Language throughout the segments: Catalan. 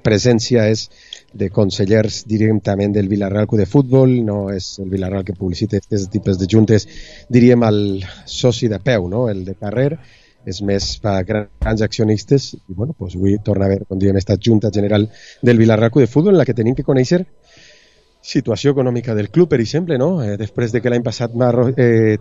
presència és de consellers, diríem, també del Villarreal Club de Futbol, no és el Villarreal que publicita aquests tipus de juntes, diríem, el soci de peu, no? El de carrer, és més per grans accionistes, i bueno, doncs avui torna a haver, com diem, esta Junta General del Villarreal Club de Futbol, en la que tenim que conèixer situació econòmica del club, per exemple, no? Després de que l'any passat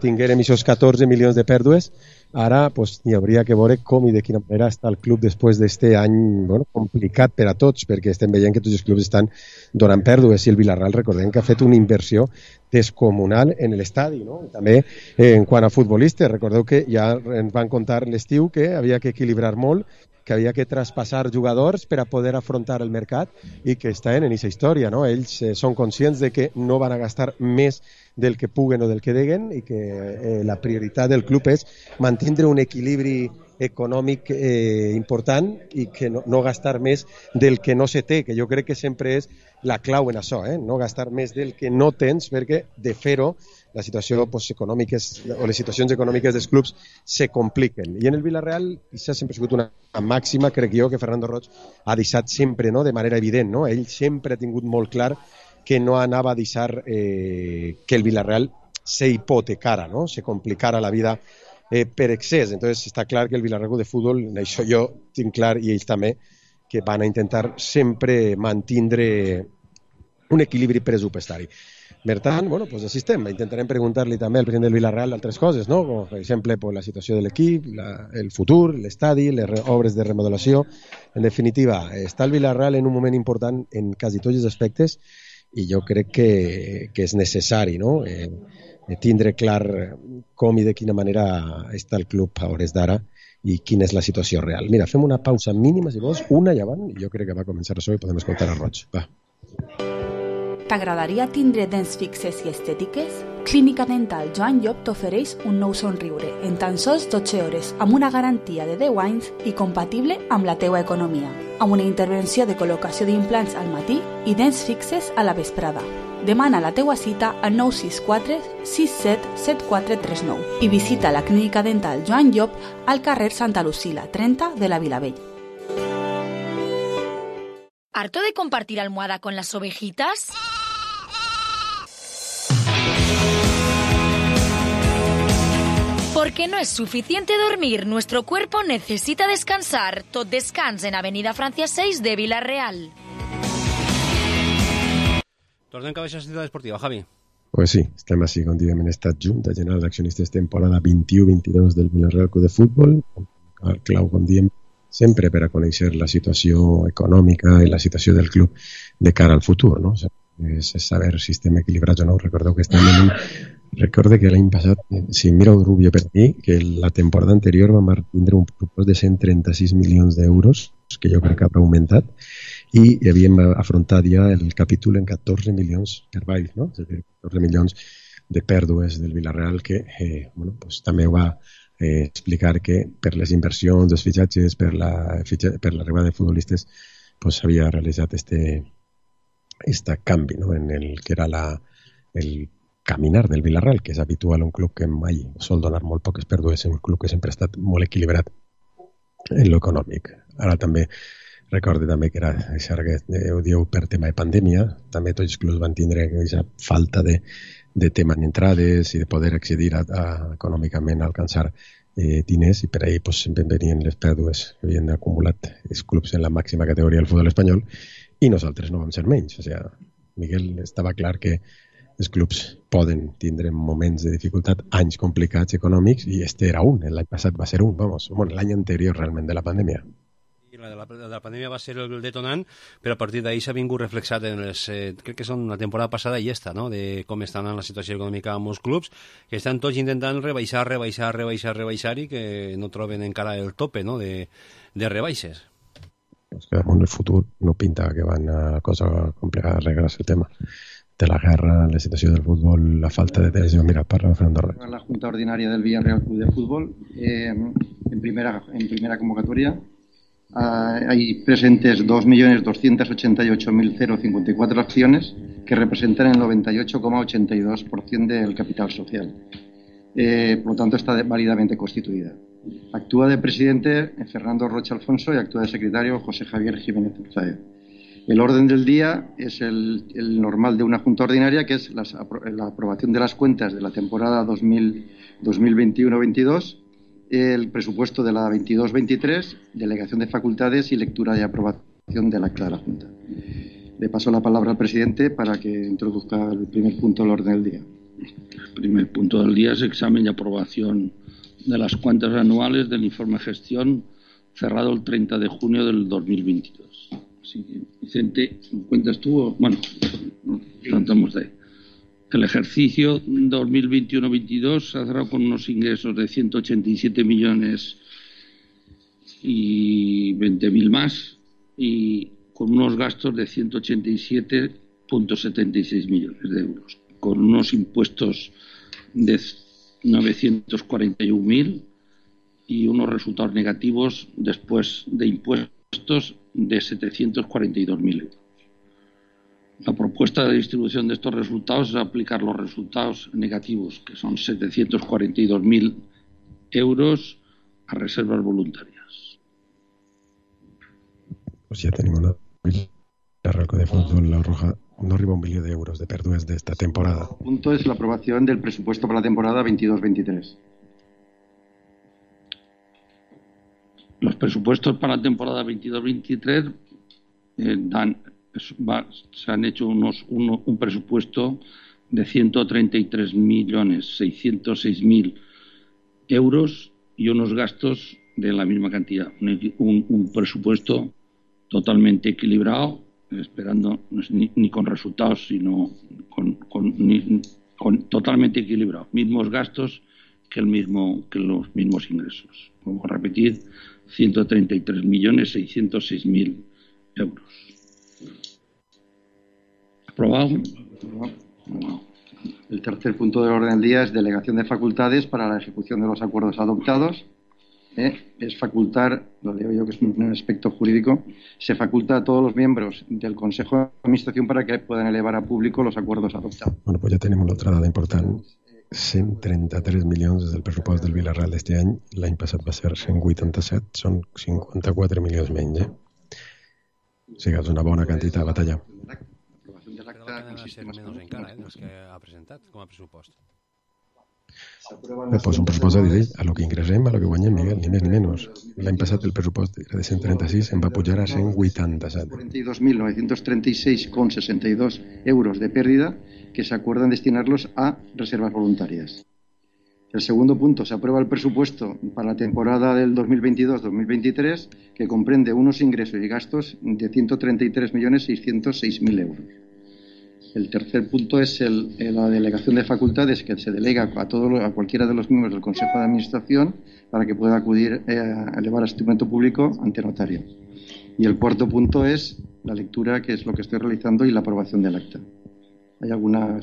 tinguérem aquests 14 milions de pèrdues, ara pues, hi hauria que veure com i de quina manera està el club després d'aquest any complicat per a tots, perquè estem veient que tots els clubs estan donant pèrdues, i el Villarreal, recordem que ha fet una inversió descomunal en l'estadi, no? I també en quant a futbolistes, recordeu que ja ens van contar l'estiu que havia que equilibrar molt, que havia que traspassar jugadors per a poder afrontar el mercat i que estan en aquesta història, no? Ells són conscients de que no van a gastar més del que puguen o del que deguen i que la prioritat del club és mantenir un equilibri econòmic important i que no gastar més del que no se té, que jo crec que sempre és la clau en això, no gastar més del que no tens, perquè de fer-ho la situació econòmica o les situacions econòmiques dels clubs se compliquen. I en el Villarreal això sempre ha sigut una màxima, crec jo, que Fernando Roig ha deixat sempre, no? De manera evident, no? Ell sempre ha tingut molt clar que no anava a deixar que el Villarreal se hipotecara, no? Se complicara la vida per excés. Entonces està clar que el Villarreal de Futbol, això jo tinc clar, i ells també, que van a intentar sempre mantenir un equilibri pressupostari. Per tant, bueno, pues així estem. Intentarem preguntar-li també al president del Villarreal altres coses, no? Com, per exemple, pues, la situació de l'equip, el futur, l'estadi, les obres de remodelació. En definitiva, està el Villarreal en un moment important en quasi tots els aspectes i jo crec que és necessari, no? Tindre clar com i de quina manera està el club a hores d'ara i quina és la situació real. Mira, fem una pausa mínima, si vols, una i avant, i jo crec que va començar això i podem escoltar a Roig. Va. T'agradaria tindre dents fixes i estètiques? Clínica Dental Joan Llop t'ofereix un nou somriure en tan sols 12 hores amb una garantia de 10 anys i compatible amb la teua economia, amb una intervenció de col·locació d'implants al matí i dents fixes a la vesprada. Demana la teua cita al 964 67 7439 i visita la Clínica Dental Joan Llop al carrer Santa Lucila 30 de la Vilavella. ¿Harto de compartir almohada con las ovejitas? Porque no es suficiente dormir, nuestro cuerpo necesita descansar. Tot descans en Avenida Francia 6 de Vila-real. Tornem cap a la ciutat esportiva, Javi. Pues sí, estem així, com diguem, en esta Junta General d'Accionistes temporada 21-22 del Villarreal Club de Futbol, el clau, com diem, sempre per a conèixer la situació econòmica i la situació del club de cara al futur, no? És saber si estem equilibrats o no. Recordeu que estem en un... Recorde que l'any passat, si mireu Rubio per aquí, que la temporada anterior vam tindre un pressupost de 136 milions d'euros, que jo crec que ha augmentat, i havíem afrontat ja el capítol en 14 milions per baix, no? És a dir, 14 milions de pèrdues del Villarreal que bueno, pues, també ho va explicar que per les inversions, els fitxatges, per l'arribada de futbolistes, pues, s'havia realitzat este canvi, no? En el que era el caminar del Villarreal, que és habitual, un club que mai sol donar molt poques pèrdues, un club que sempre ha estat molt equilibrat en l'econòmic. Ara també recorde també que era això que ho diu per tema de pandèmia, també tots els clubs van tindre aquesta falta de tema en entrades i de poder accedir econòmicament a alcançar diners, i per ahir pues, sempre venien les pèrdues que havien acumulat els clubs en la màxima categoria del futbol espanyol, i nosaltres no vam ser menys. O sigui, Miguel, estava clar que els clubs poden tindre moments de dificultat, anys complicats econòmics, i este era un, l'any passat va ser un, l'any anterior realment de la pandèmia. La pandèmia va ser el detonant, però a partir d'ahir s'ha vingut reflexat en les, crec que són la temporada passada i esta, no? De com estan en la situació econòmica amb els clubs, que estan tots intentant rebaixar i que no troben encara el tope, no? de rebaixes. Pues que en el futur no pinta que van a cosa complicada arreglar el tema de la guerra, la situació del futbol, la falta de televisió. Mira, parla Fernando Roig. La Junta Ordinaria del Villarreal Club de Fútbol, en primera convocatoria, hay presentes 2.288.054 acciones que representan el 98,82% del capital social. Por lo tanto, está válidamente constituida. Actúa de presidente Fernando Rocha Alfonso y actúa de secretario José Javier Jiménez Urzaez. El orden del día es el normal de una junta ordinaria, que es la aprobación de las cuentas de la temporada 2021-22, el presupuesto de la 22-23, delegación de facultades y lectura y aprobación del acta de la Junta. Le paso la palabra al presidente para que introduzca el primer punto del orden del día. El primer punto del día es examen y aprobación de las cuentas anuales del informe de gestión cerrado el 30 de junio del 2022. Así que, Vicente, ¿cuentas tú? Bueno, tratamos de... El ejercicio 2021-22 se ha cerrado con unos ingresos de 187 millones y 20.000 más y con unos gastos de 187,76 millones de euros, con unos impuestos de 941.000 y unos resultados negativos después de impuestos de 742.000 euros. La propuesta de distribución de estos resultados es aplicar los resultados negativos, que son 742.000 euros, a reservas voluntarias. Pues ja tenim una Villarreal de Fútbol, la Roja no arriba a 1 milió d'euros de pèrdues d'esta temporada. El punto es la aprobación del presupuesto para la temporada 22-23. Los presupuestos para la temporada 22-23 se han hecho un presupuesto de 133.606.000 euros y unos gastos de la misma cantidad. Un presupuesto totalmente equilibrado, esperando ni con resultados, sino con totalmente equilibrado. Mismos gastos que los mismos ingresos. Vamos a repetir, 133.606.000 euros. ¿Aprobado? El tercer punto del orden del día es delegación de facultades para la ejecución de los acuerdos adoptados. Es facultar, lo leo yo que es un aspecto jurídico, se faculta a todos los miembros del Consejo de Administración para que puedan elevar a público los acuerdos adoptados. Bueno, pues ja tenim una altra dada important. 133 milions des del pressupost del Villarreal d'este any. L'any passat va ser 187, són 54 milions menys. O sigui, és una bona quantitat a batallar. L'aprovació de l'acta Però que ser menys encara, dels que ha presentat com a pressupost. Pues un pressupost a dir a lo que ingressem, a lo que guanyem, Miguel, ni més ni menys. L'any passat el pressupost era de 136, em va pujar a 187. 42.936,62 euros de pérdida que se acuerdan destinarlos a reservas voluntarias. El segundo punto, se aprueba el presupuesto para la temporada del 2022-2023 que comprende unos ingresos y gastos de 133.606.000 euros. El tercer punto es la delegación de facultades que se delega a cualquiera de los miembros del Consejo de Administración para que pueda acudir a elevar a instrumento público ante notario. Y el cuarto punto es la lectura, que es lo que estoy realizando, y la aprobación del acta. ¿Hay alguna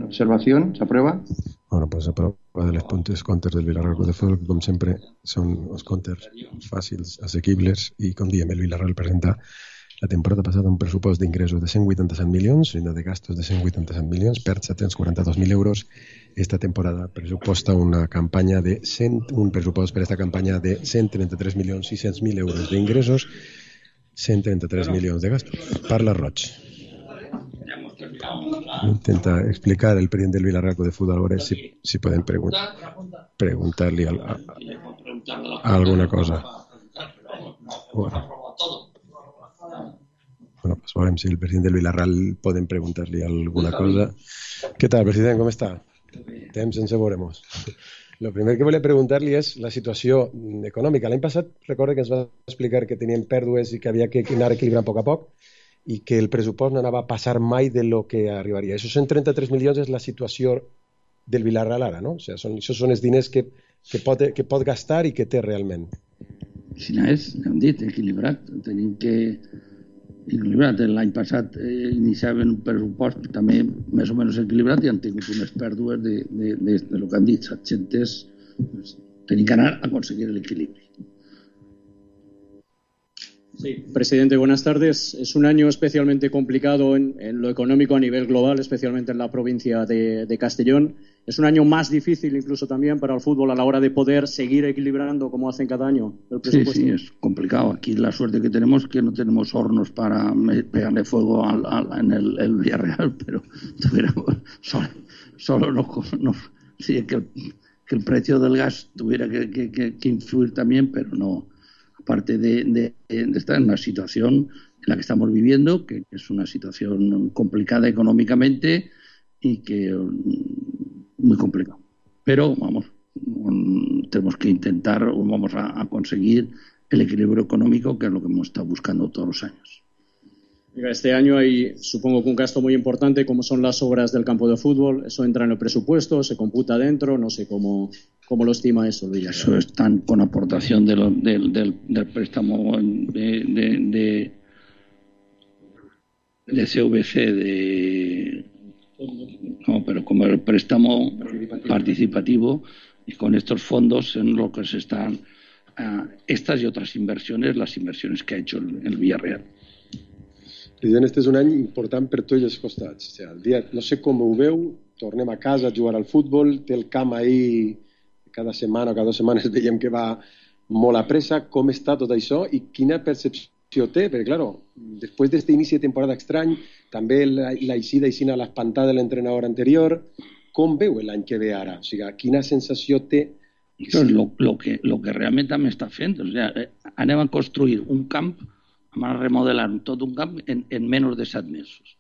observación? ¿Se aprueba? Bueno, pues s'aprova de les puntes comptes del Villarreal Club de Futbol, que com sempre són els comptes fàcils, assequibles, i com diem, el Villarreal presenta la temporada passada un pressupost d'ingressos de 187 milions i de gastos de 187 milions, perd 742.000 euros. Esta temporada pressuposta un pressupost per esta campanya de 133.600.000 euros d'ingressos, 133 milions de gastos. Parla Roig. Intenta explicar el presidente del Villarreal de Fútbol, a ver si pueden preguntarle alguna cosa. Bueno, pues veurem si el presidente del Villarreal pueden preguntarle alguna cosa. ¿Qué tal, presidente? ¿Cómo está? Temps sense veuremos. Lo primer que volia preguntar-li és la situació econòmica. L'any passat, recorda que ens va explicar que tenien pèrdues i que havia que anar equilibrant a poc a poc i que el pressupost no anava a passar mai de lo que arribaria. Esos 133 milions és la situació del Villarreal ara, no? O sigui, són els diners que pot gastar i que té realment. Si no és, hem dit, equilibrat. Tenim que equilibrat. L'any passat iniciaven un pressupost també més o menys equilibrat i han tingut unes pèrdues de lo que han dit, 700. Tenim que anar a aconseguir l'equilibri. Sí, presidente, buenas tardes. Es un año especialmente complicado en lo económico a nivel global, especialmente en la provincia de Castellón. Es un año más difícil incluso también para el fútbol a la hora de poder seguir equilibrando como hacen cada año el presupuesto. Sí, es complicado. Aquí la suerte que tenemos es que no tenemos hornos para pegarle fuego en el Villarreal, pero tuviéramos solo nos sí, que el precio del gas tuviera que influir también, pero no. Aparte de estar en una situación en la que estamos viviendo, que es una situación complicada económicamente y que muy complicado. Pero vamos, tenemos que intentar, vamos a conseguir el equilibrio económico, que es lo que hemos estado buscando todos los años. Este año hay, supongo que un gasto muy importante, como son las obras del campo de fútbol. Eso entra en el presupuesto, se computa dentro, no sé cómo lo estima eso. Eso están con aportación del préstamo de CVC, no, pero como el préstamo participativo, y con estos fondos en lo que se están estas y otras inversiones, las inversiones que ha hecho el Villarreal. President, este és un any important per tots els costats. O sigui, el dia, no sé com ho veu, tornem a casa a jugar al futbol, té el camp ahí cada setmana o cada 2 setmanes veiem que va molt a pressa. Com està tot això i quina percepció té? Perquè, claro, després d'aquest inici de temporada estrany, també l'eixida a l'espantada de l'entrenador anterior, com veu l'any que ve ara? O sigui, quina sensació té? Això és lo que realment també està fent. O sigui, anem a construir un camp, vam a remodelar tot un camp en menys de 7 mesos.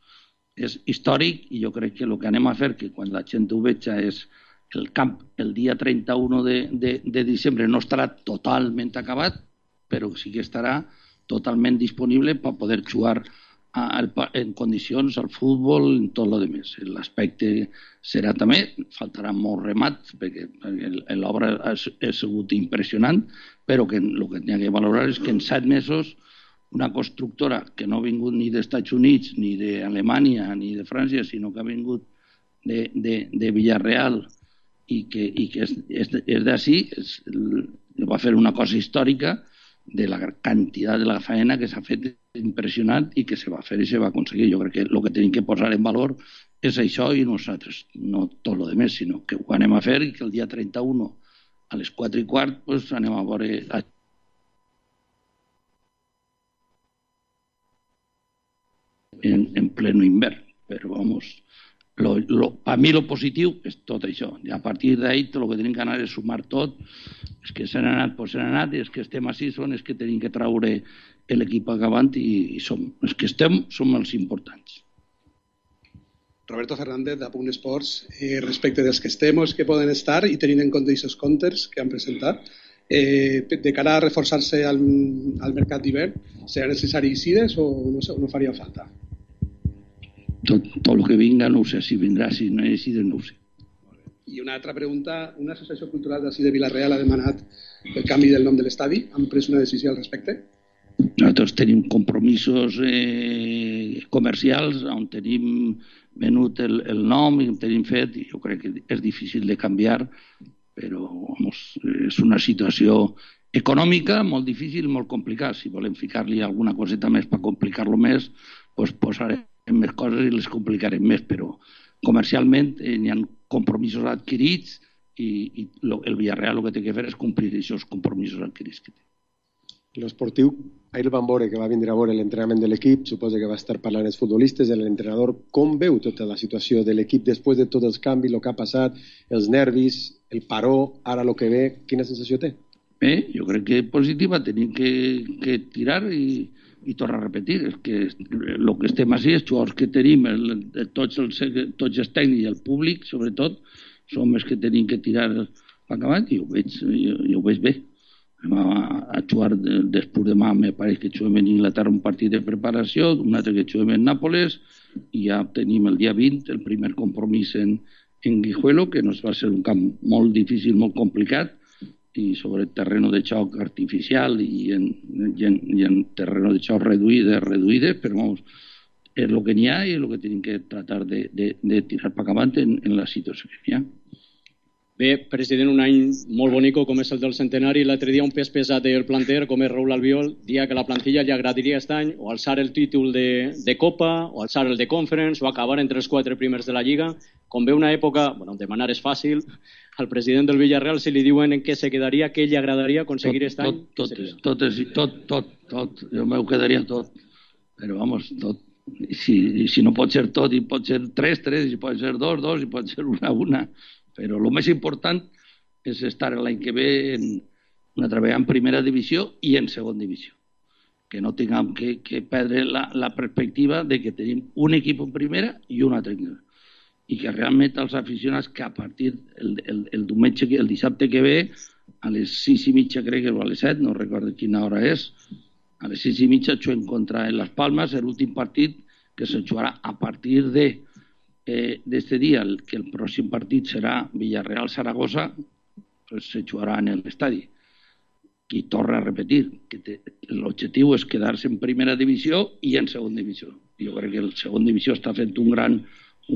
És històric i jo crec que el que anem a fer, que quan la gent ho veja, és el camp el dia 31 de diciembre no estarà totalment acabat, però sí que estarà totalment disponible per poder jugar en condicions al futbol, en tot el més. L'aspecte serà també, faltarà molt remat, perquè l'obra ha sigut impressionant, però que el que n'hi ha que valorar és que en 7 mesos una constructora que no ha vingut ni dels Estats Units, ni d'Alemanya, ni de França, sinó que ha vingut de Villarreal i que és d'ací, va fer una cosa històrica de la quantitat de la feina que s'ha fet impressionant i que se va fer i se va aconseguir. Jo crec que el que tenim que posar en valor és això i nosaltres, no tot el més, sinó que ho anem a fer i que el dia 31 a les 4:15 pues, anem a veure en pleno invern, però vamos, a mi lo positiu és tot això, i a partir d'ahí tot el que tenim que anar és sumar tot, és que s'han anat, pues s'han anat, i és que estem així, és que tenim que traure l'equip acabant i els que estem som els importants. Roberto Fernández, de Punt Esports, respecte dels que estem o els que poden estar i tenint en compte aquests comptes que han presentat, de cara a reforçar-se al mercat d'hivern, serà necessari ICIDES o no faria falta? Tot el que vinga no ho sé, si vindrà, si no és ICIDES no ho sé. I una altra pregunta, una associació cultural d'ací de Vila-real ha demanat el canvi del nom de l'estadi, han pres una decisió al respecte? Nosaltres tenim compromisos comercials on tenim venut el nom i tenim fet, i jo crec que és difícil de canviar, però vamos, és una situació econòmica molt difícil, molt complicada. Si volem ficar-li alguna coseta més per complicar-lo més, doncs posarem més coses i les complicarem més, però comercialment hi ha compromisos adquirits i el Villarreal el que té que fer és complir aquests compromisos adquirits que té. L'esportiu, ahir el van veure que va vindre a veure l'entrenament de l'equip, suposa que va estar parlant els futbolistes, l'entrenador. Com veu tota la situació de l'equip després de tots els canvis, el que ha passat, els nervis, el paró, ara el que ve, quina sensació té? Bé, jo crec que és positiva, tenim que tirar i tornar a repetir. És que el que estem així, els jugadors que tenim, tots els tècnics i el públic, sobretot, som els que tenim que tirar acabant i ho veig bé. A jugar després demà, me pareix que juguem en Inglaterra un partit de preparació, un altre que juguem en Nàpoles, i ja tenim el dia 20 el primer compromís en Guijuelo, que nos va ser un camp molt difícil, molt complicat, i sobre terreno de xoc artificial i en terreno de xoc reduïdes, però vamos, és el que n'hi ha i és el que tenim que tratar de tirar per acabant en la situació que n'hi ha. Bé, president, un any molt bonico com és el del centenari. L'altre dia un pes pesat del planter, com és Raúl Albiol, dia que la plantilla li agradaria aquest any o alçar el títol de Copa, o alçar el de Conference, o acabar entre els 4 primers de la Lliga. Com ve una època, bueno, demanar és fàcil, al president del Villarreal, si li diuen en què se quedaria, què li agradaria aconseguir aquest any? Tot. Jo m'ho quedaria tot. Però, vamos, tot. Si no pot ser tot, i pot ser 3, i pot ser 2, i pot ser 1. Però el més important és estar l'any que ve treballar en primera divisió i en segona divisió. Que no tinguem que perdre la perspectiva de que tenim un equip en primera i un altre en segona. I que realment els aficionats que a partir el diumenge, el dissabte que ve, a les 6:30 crec que o a les 7, no recordo quina hora és, a les 6:30 juguem contra Las Palmas, l'últim partit que se jugarà a partir d'este dia, que el pròxim partit serà Villarreal-Saragossa, pues se jugarà en l'estadi. I torna a repetir que l'objectiu és quedar-se en primera divisió i en segona divisió. Jo crec que el segona divisió està fent un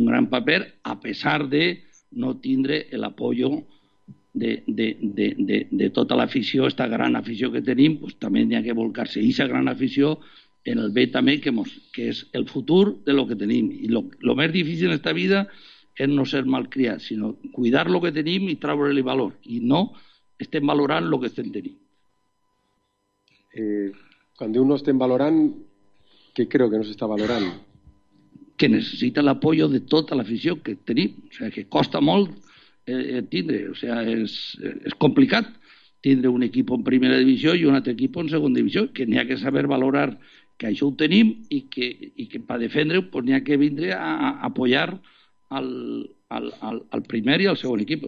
gran paper, a pesar de no tindre l'apoyo de tota l'afició, aquesta gran afició que tenim, pues també n'hi ha que volcar-se. I aquesta gran afició en el bé també, que és el futur de lo que tenim. I lo més difícil en esta vida és no ser malcriats, sinó cuidar lo que tenim i treure-li valor. I no estem valorant lo que estem tenint. Quan diu no estem valorant, què creu que no s'està valorant? Que necessita l'apoyo de tota l'afició que tenim. O sigui, que costa molt tindre. O sigui, és complicat tindre un equip en primera divisió i un altre equip en segona divisió, que n'hi ha que saber valorar que això ho tenim i que per defendre-ho pues, n'hi ha que vindre a apoyar al primer i al segon equip.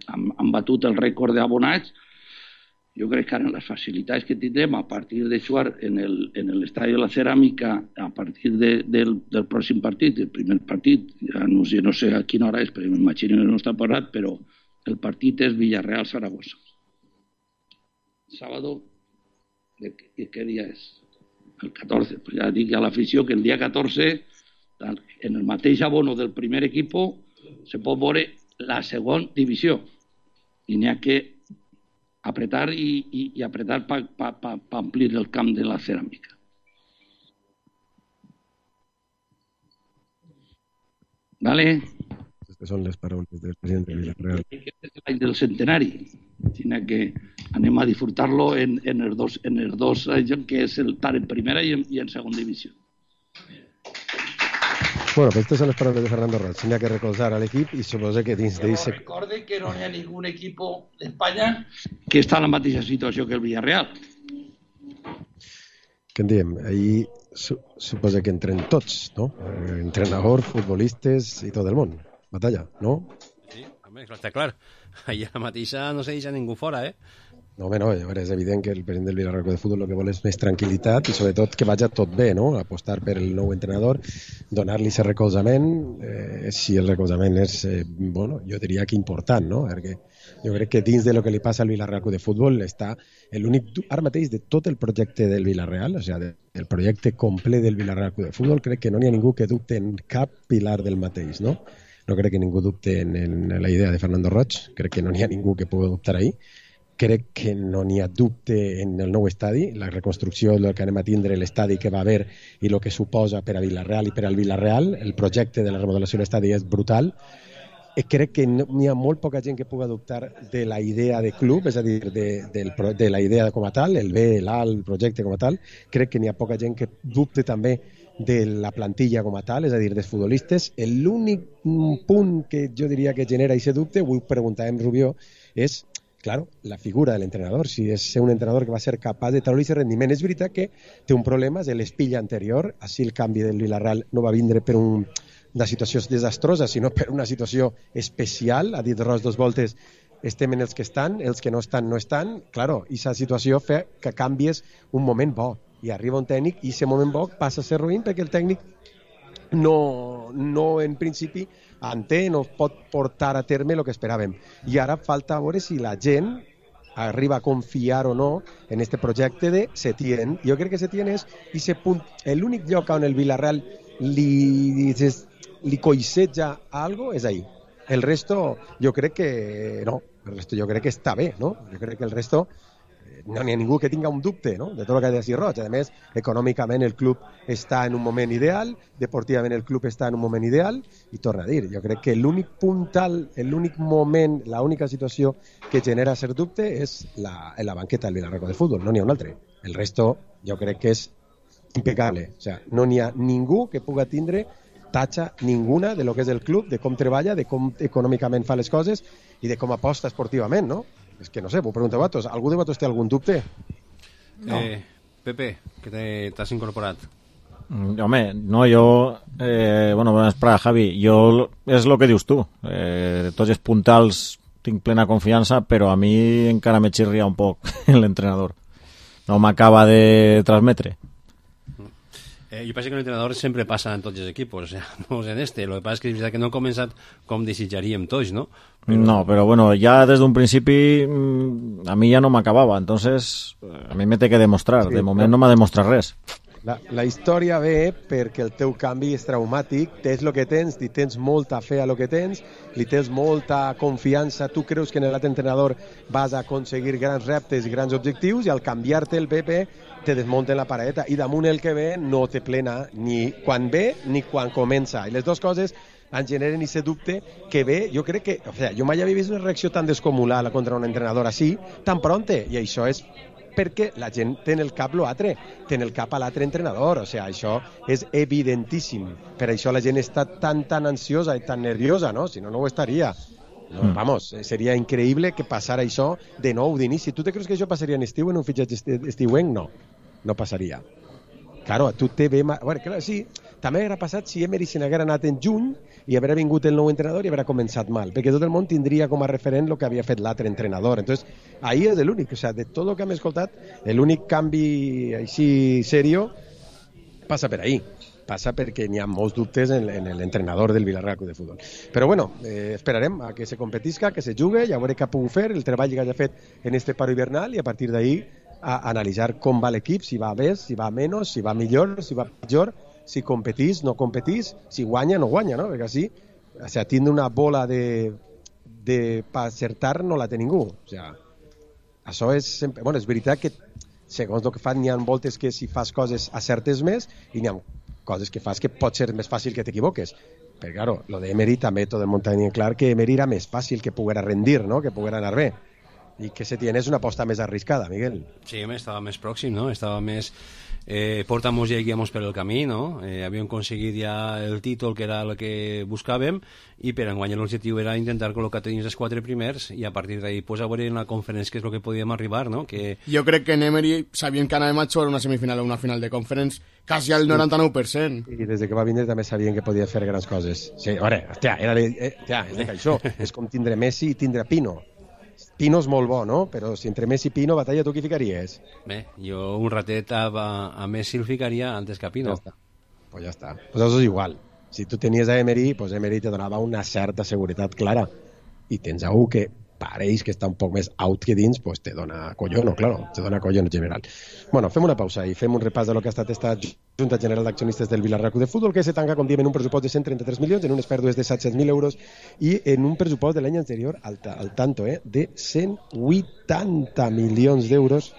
Han batut el rècord d'abonats. Jo crec que ara les facilitats que tindrem a partir de jugar en l'estadi de la Ceràmica a partir del pròxim partit, el primer partit, ja no sé a quina hora és, però m'imagino que no està parlat, però el partit és Villarreal-Saragossa. Sábado, ¿qué día es? El 14. Pues ya dic a l'afició que el dia 14, en el mateix abono del primer equipo, se pot veure la segona divisió. I n'hi ha que apretar i apretar per amplir el camp de la ceràmica. ¿Vale? Estas son les paraules del president de Villarreal. Aquest és l'any del centenari. Sinó que anem a disfrutar-lo en els dos anys, que és estar en primera i en segona divisió. Bueno, pues estas son las palabras de Fernando Roig. Tenía que recolzar al equip i suposo que dins d'ell... Recorde que no hi ha ningú equip d'Espanya que està en la mateixa situació que el Villarreal. Què en diem? Ahir suposo que entren tots, no? Entrenador, futbolistes i tot el món. Batalla, no? Sí, home, està clar. Allà mateixa no se deixa ningú fora, No, home, no, és evident que el president del Villarreal de Futbol el que vol és més tranquil·litat i sobretot que vagi tot bé, no? Apostar per el nou entrenador, donar-li aquest recolzament, si el recolzament és, bueno, jo diria que important, no? Perquè jo crec que dins de lo que li passa al Villarreal de Futbol està l'únic, ara mateix, de tot el projecte del Villarreal, o sigui, del projecte complet del Villarreal de Futbol, crec que no n'hi ha ningú que dubte en cap pilar del mateix, no? No crec que ningú dubte en la idea de Fernando Roig, crec que no n'hi ha ningú que pugui dubtar ahí. Crec que no n'hi ha dubte en el nou estadi, la reconstrucció del que anem a tindre, l'estadi que va haver i el que suposa per a Villarreal i per al Villarreal, el projecte de la remodelació de l'estadi és brutal. Crec que n'hi ha molt poca gent que pugui dubtar de la idea de club, és a dir, de la idea com a tal, el bé, l'alt, el projecte com a tal. Crec que n'hi ha poca gent que dubte també de la plantilla com a tal, és a dir, dels futbolistes. L'únic punt que jo diria que genera aquest dubte, vull preguntar a Rubió, és claro, la figura del entrenador, si és un entrenador que va ser capaç de treure aquest rendiment. És veritat que té un problema, és l'espilla anterior, així el canvi del Villarreal no va vindre per una situació desastrosa, sinó per una situació especial. Ha dit Roig 2 voltes, estem en els que estan, els que no estan, no estan. Claro, i aquesta situació fa que canvies un moment bo, i arriba un tècnic i aquest moment bo passa a ser ruïn perquè el tècnic no en principi no pot portar a terme el que esperàvem. I ara falta veure si la gent arriba a confiar o no en este projecte de Setién. Jo crec que Setién és l'únic lloc on el Villarreal li coixeja algo és ahí. El resto, jo crec que no. El resto jo crec que està bé, no? Jo crec que el resto no n'hi ha ningú que tinga un dubte, no? De tot el que ha de dir Roig. A més, econòmicament el club està en un moment ideal, deportivament el club està en un moment ideal, i torna a dir, jo crec que l'únic puntal, l'únic moment, l'única situació que genera cert dubte és la banqueta del Vilarreal de Futbol, no n'hi ha un altre. El resto jo crec que és impecable. O sea, no n'hi ha ningú que puga tindre tatxa ninguna de lo que és el club, de com treballa, de com econòmicament fa les coses i de com aposta esportivament, no? És que no sé, vos pregunteu a vosaltres. Algú de vosaltres té algun dubte? No. Pepe, que t'has incorporat. Home, no, jo... bueno, espera, Javi, jo és el que dius tu. Tots els puntals tinc plena confiança, però a mi encara me xirria un poc l'entrenador. No m'acaba de transmetre. Yo parece que el entrenador siempre pasa en todos los equipos, o sea, no en este. Lo que pasa es que es verdad que no ha començat com desitjaríem tots, ¿no? No, pero bueno, ya desde un principi a mí ya no m'acabava, entonces a mí me té que demostrar. Sí, de moment no m'ha demostrat res. La història ve perquè el teu canvi és traumàtic, tens el que tens, li tens molta fe a lo que tens, li tens molta confiança, tu creus que en l'altre entrenador vas a aconseguir grans reptes i grans objectius, i al canviar-te el PP te desmunten la paradeta, i damunt el que ve no te plena ni quan ve ni quan comença, i les dues coses en generen aquest dubte que ve, jo crec que, o sea, jo mai havia vist una reacció tan descomunal contra un entrenador així, tan pronte, i això és perquè la gent té en el cap l'altre, té en el cap a l'altre entrenador, o sigui, això és evidentíssim, per això la gent està tan ansiosa i tan nerviosa, no? Si no, no ho estaria. No, vamos, seria increïble que passara això de nou d'inici. Tu te creus que això passaria en estiu, en un fitxatge estiuenc? No, no passaria. Claro, tu te ve... Bueno, clar, sí, també hauria passat si Emery se n'haguera anat en juny i haguera vingut el nou entrenador i haguera començat mal, perquè tot el món tindria com a referent el que havia fet l'altre entrenador. Entonces, ahí és l'únic, o sea, de tot el que hem escoltat, l'únic canvi així serio passa per ahí. Passa perquè n'hi ha molts dubtes en l'entrenador del Vilarreal de Futbol. Però bueno, esperarem a que se competisca, que se jugue, ja veurem què ha pogut fer, el treball que hagi fet en este paro hivernal, i a partir d'ahí a analitzar com va l'equip, si va bé, si va menys, si va millor, si va pitjor, si competís, no competís, si guanya, no guanya, no? Perquè així, o sea, tindre una bola de per acertar no la té ningú. O sea, això és sempre... Bueno, és veritat que segons el que fan n'hi ha voltes que si fas coses acertes més i n'hi ha coses que fas que pot ser més fàcil que t'equivoques. Però, claro, lo de Emery també tot el món tenia clar que Emery era més fàcil que poguera rendir, no? Que poguera anar bé. I que Setién és una aposta més arriscada, Miguel. Sí, estava més pròxim, no? Estava més... portamos ja guiamos per el camí, no? Havíem aconseguit ja el títol, que era el que buscàvem, i per enguany l'objectiu era intentar col·locar dins els 4 primers, i a partir d'ahí pues, a veure en la conferència què és el que podíem arribar, no? Que... Jo crec que en Emery sabien que anàvem a jugar una semifinal o una final de conference quasi al 99%. I des que va vindre també sabien que podia fer grans coses. Sí, a veure, hòstia, és de això. És com tindre Messi i tindre Pino. Pino és molt bo, no? Però si entre Messi i Pino batalla, tu qui ficaries? Bé, jo un ratet a Messi el ficaria antes que a Pino. Pues ja està. Pues això és igual. Si tu tenies a Emery, pues Emery te donava una certa seguretat clara. I tens algú que pareix que està un poc més out que dins, pues te dona collón, claro, te dona collón en general. Bueno, fem una pausa i fem un repàs de lo que ha estat esta Junta General d'Accionistes del Vilarreal de Futbol, que se tanca, com diem, en un pressupost de 133 milions, en unes pèrdues de 700.000 euros i en un pressupost de l'any anterior, al tanto, de 180 milions d'euros,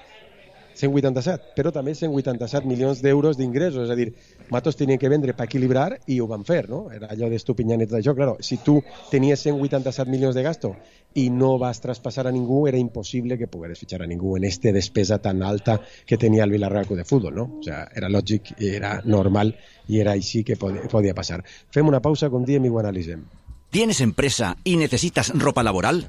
187, però també 187 milions d'euros d'ingressos, és a dir, matos tenien que vendre per equilibrar i ho van fer, no? Era allò d'estupinyant i tot això, claro, si tu tenies 187 milions de gasto i no vas traspassar a ningú, era impossible que pogueres fitxar a ningú en esta despesa tan alta que tenia el Vilarreal de Futbol, no? O sea, era lògic, era normal i era així que podia passar. Fem una pausa, com diem, i ho analitzem. ¿Tienes empresa y necesitas ropa laboral?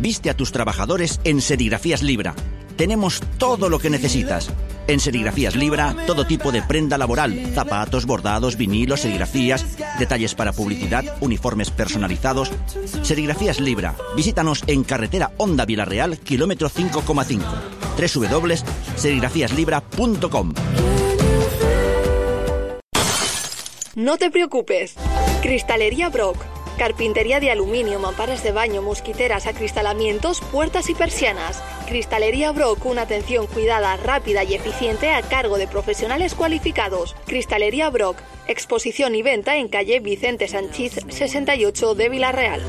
Viste a tus trabajadores en Serigrafías Libra. Tenemos todo lo que necesitas. En Serigrafías Libra, todo tipo de prenda laboral, zapatos, bordados, vinilos, serigrafías, detalles para publicidad, uniformes personalizados. Serigrafías Libra. Visítanos en carretera Honda Vilarreal, kilómetro 5,5. www.serigrafiaslibra.com. No te preocupes. Cristalería Brock. Carpintería de aluminio, mamparas de baño, mosquiteras, acristalamientos, puertas y persianas. Cristalería Brock, una atención cuidada, rápida y eficiente a cargo de profesionales cualificados. Cristalería Brock, exposición y venta en calle Vicente Sanchís 68 de Villarreal.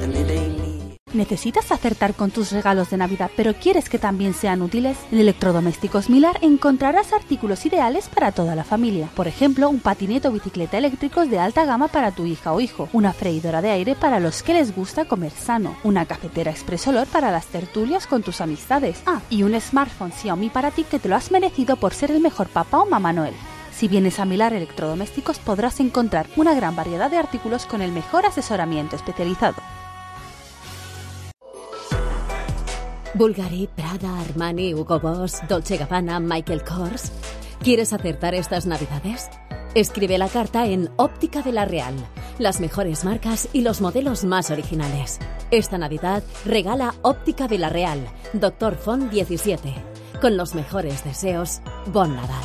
¿Necesitas acertar con tus regalos de Navidad, pero quieres que también sean útiles? En Electrodomésticos Milar encontrarás artículos ideales para toda la familia. Por ejemplo, un patinete o bicicleta eléctricos de alta gama para tu hija o hijo, una freidora de aire para los que les gusta comer sano, una cafetera Express Olor para las tertulias con tus amistades. Y un smartphone Xiaomi para ti que te lo has merecido por ser el mejor papá o mamá Noel. Si vienes a Milar Electrodomésticos podrás encontrar una gran variedad de artículos con el mejor asesoramiento especializado. Bulgari, Prada, Armani, Hugo Boss, Dolce & Gabbana, Michael Kors. ¿Quieres acertar estas Navidades? Escribe la carta en Óptica de la Real. Las mejores marcas y los modelos más originales. Esta Navidad regala Óptica de la Real, Dr. Font 17. Con los mejores deseos, Bon Nadal.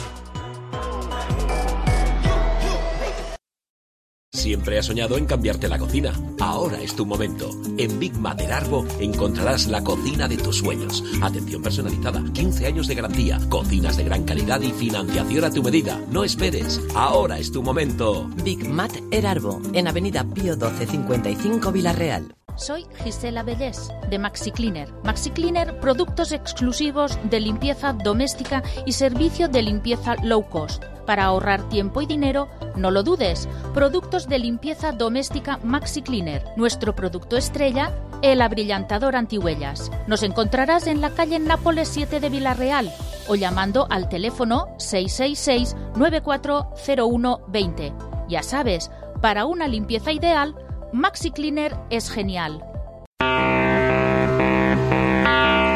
Siempre has soñado en cambiarte la cocina. Ahora es tu momento. En Big Mater Arbo encontrarás la cocina de tus sueños. Atención personalizada, 15 años de garantía, cocinas de gran calidad y financiación a tu medida. No esperes. Ahora es tu momento. Big Mater Arbo, en Avenida Pío 12 55 Villarreal. Soy Gisela Bellés, de Maxi Cleaner. Maxi Cleaner, productos exclusivos de limpieza doméstica y servicio de limpieza low cost. Para ahorrar tiempo y dinero, no lo dudes. Productos de limpieza doméstica Maxi Cleaner. Nuestro producto estrella, el abrillantador antihuellas. Nos encontrarás en la calle Nápoles 7 de Villarreal o llamando al teléfono 666-940120. Ya sabes, para una limpieza ideal, Maxi Cleaner es genial.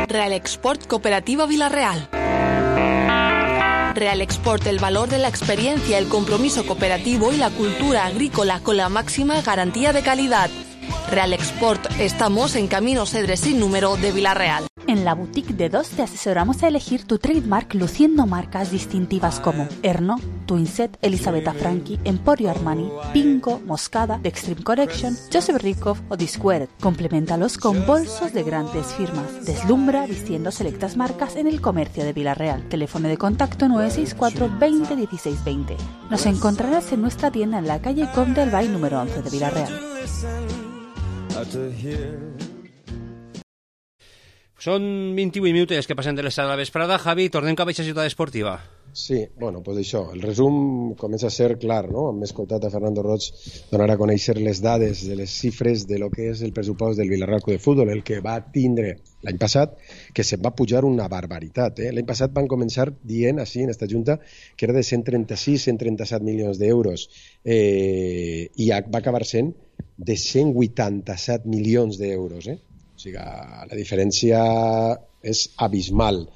Real Export Cooperativa Villarreal. Real Export, el valor de la experiencia, el compromiso cooperativo y la cultura agrícola con la máxima garantía de calidad. Real Export, estamos en Camino Cedres sin número de Villarreal. En la boutique de DOS te asesoramos a elegir tu trademark luciendo marcas distintivas como Erno, Twinset, Elisabetta Franchi, Emporio Armani, Pingo, Moscada, The Extreme Collection, Joseph Rikov o Disquared. Compleméntalos con bolsos de grandes firmas. Deslumbra vistiendo selectas marcas en el comercio de Villarreal. Teléfono de contacto 964 20 16 20. Nos encontrarás en nuestra tienda en la calle Comte del Bay número 11 de Villarreal. Són 28 minuts que passen de l'estat de la vesprada. Javi, tornem cap a aquesta ciutat esportiva. Sí, bueno, pues això, el resum comença a ser clar, no? Hem escoltat a Fernando Roig donar a conèixer les dades de les xifres de lo que és el pressupost del Villarreal Club de Futbol, el que va tindre l'any passat, que se'n va pujar una barbaritat. L'any passat van començar dient, així, en esta junta, que era de 136-137 milions d'euros, i va acabar sent de 187 milions d'euros, O sigui, la diferència és abismal.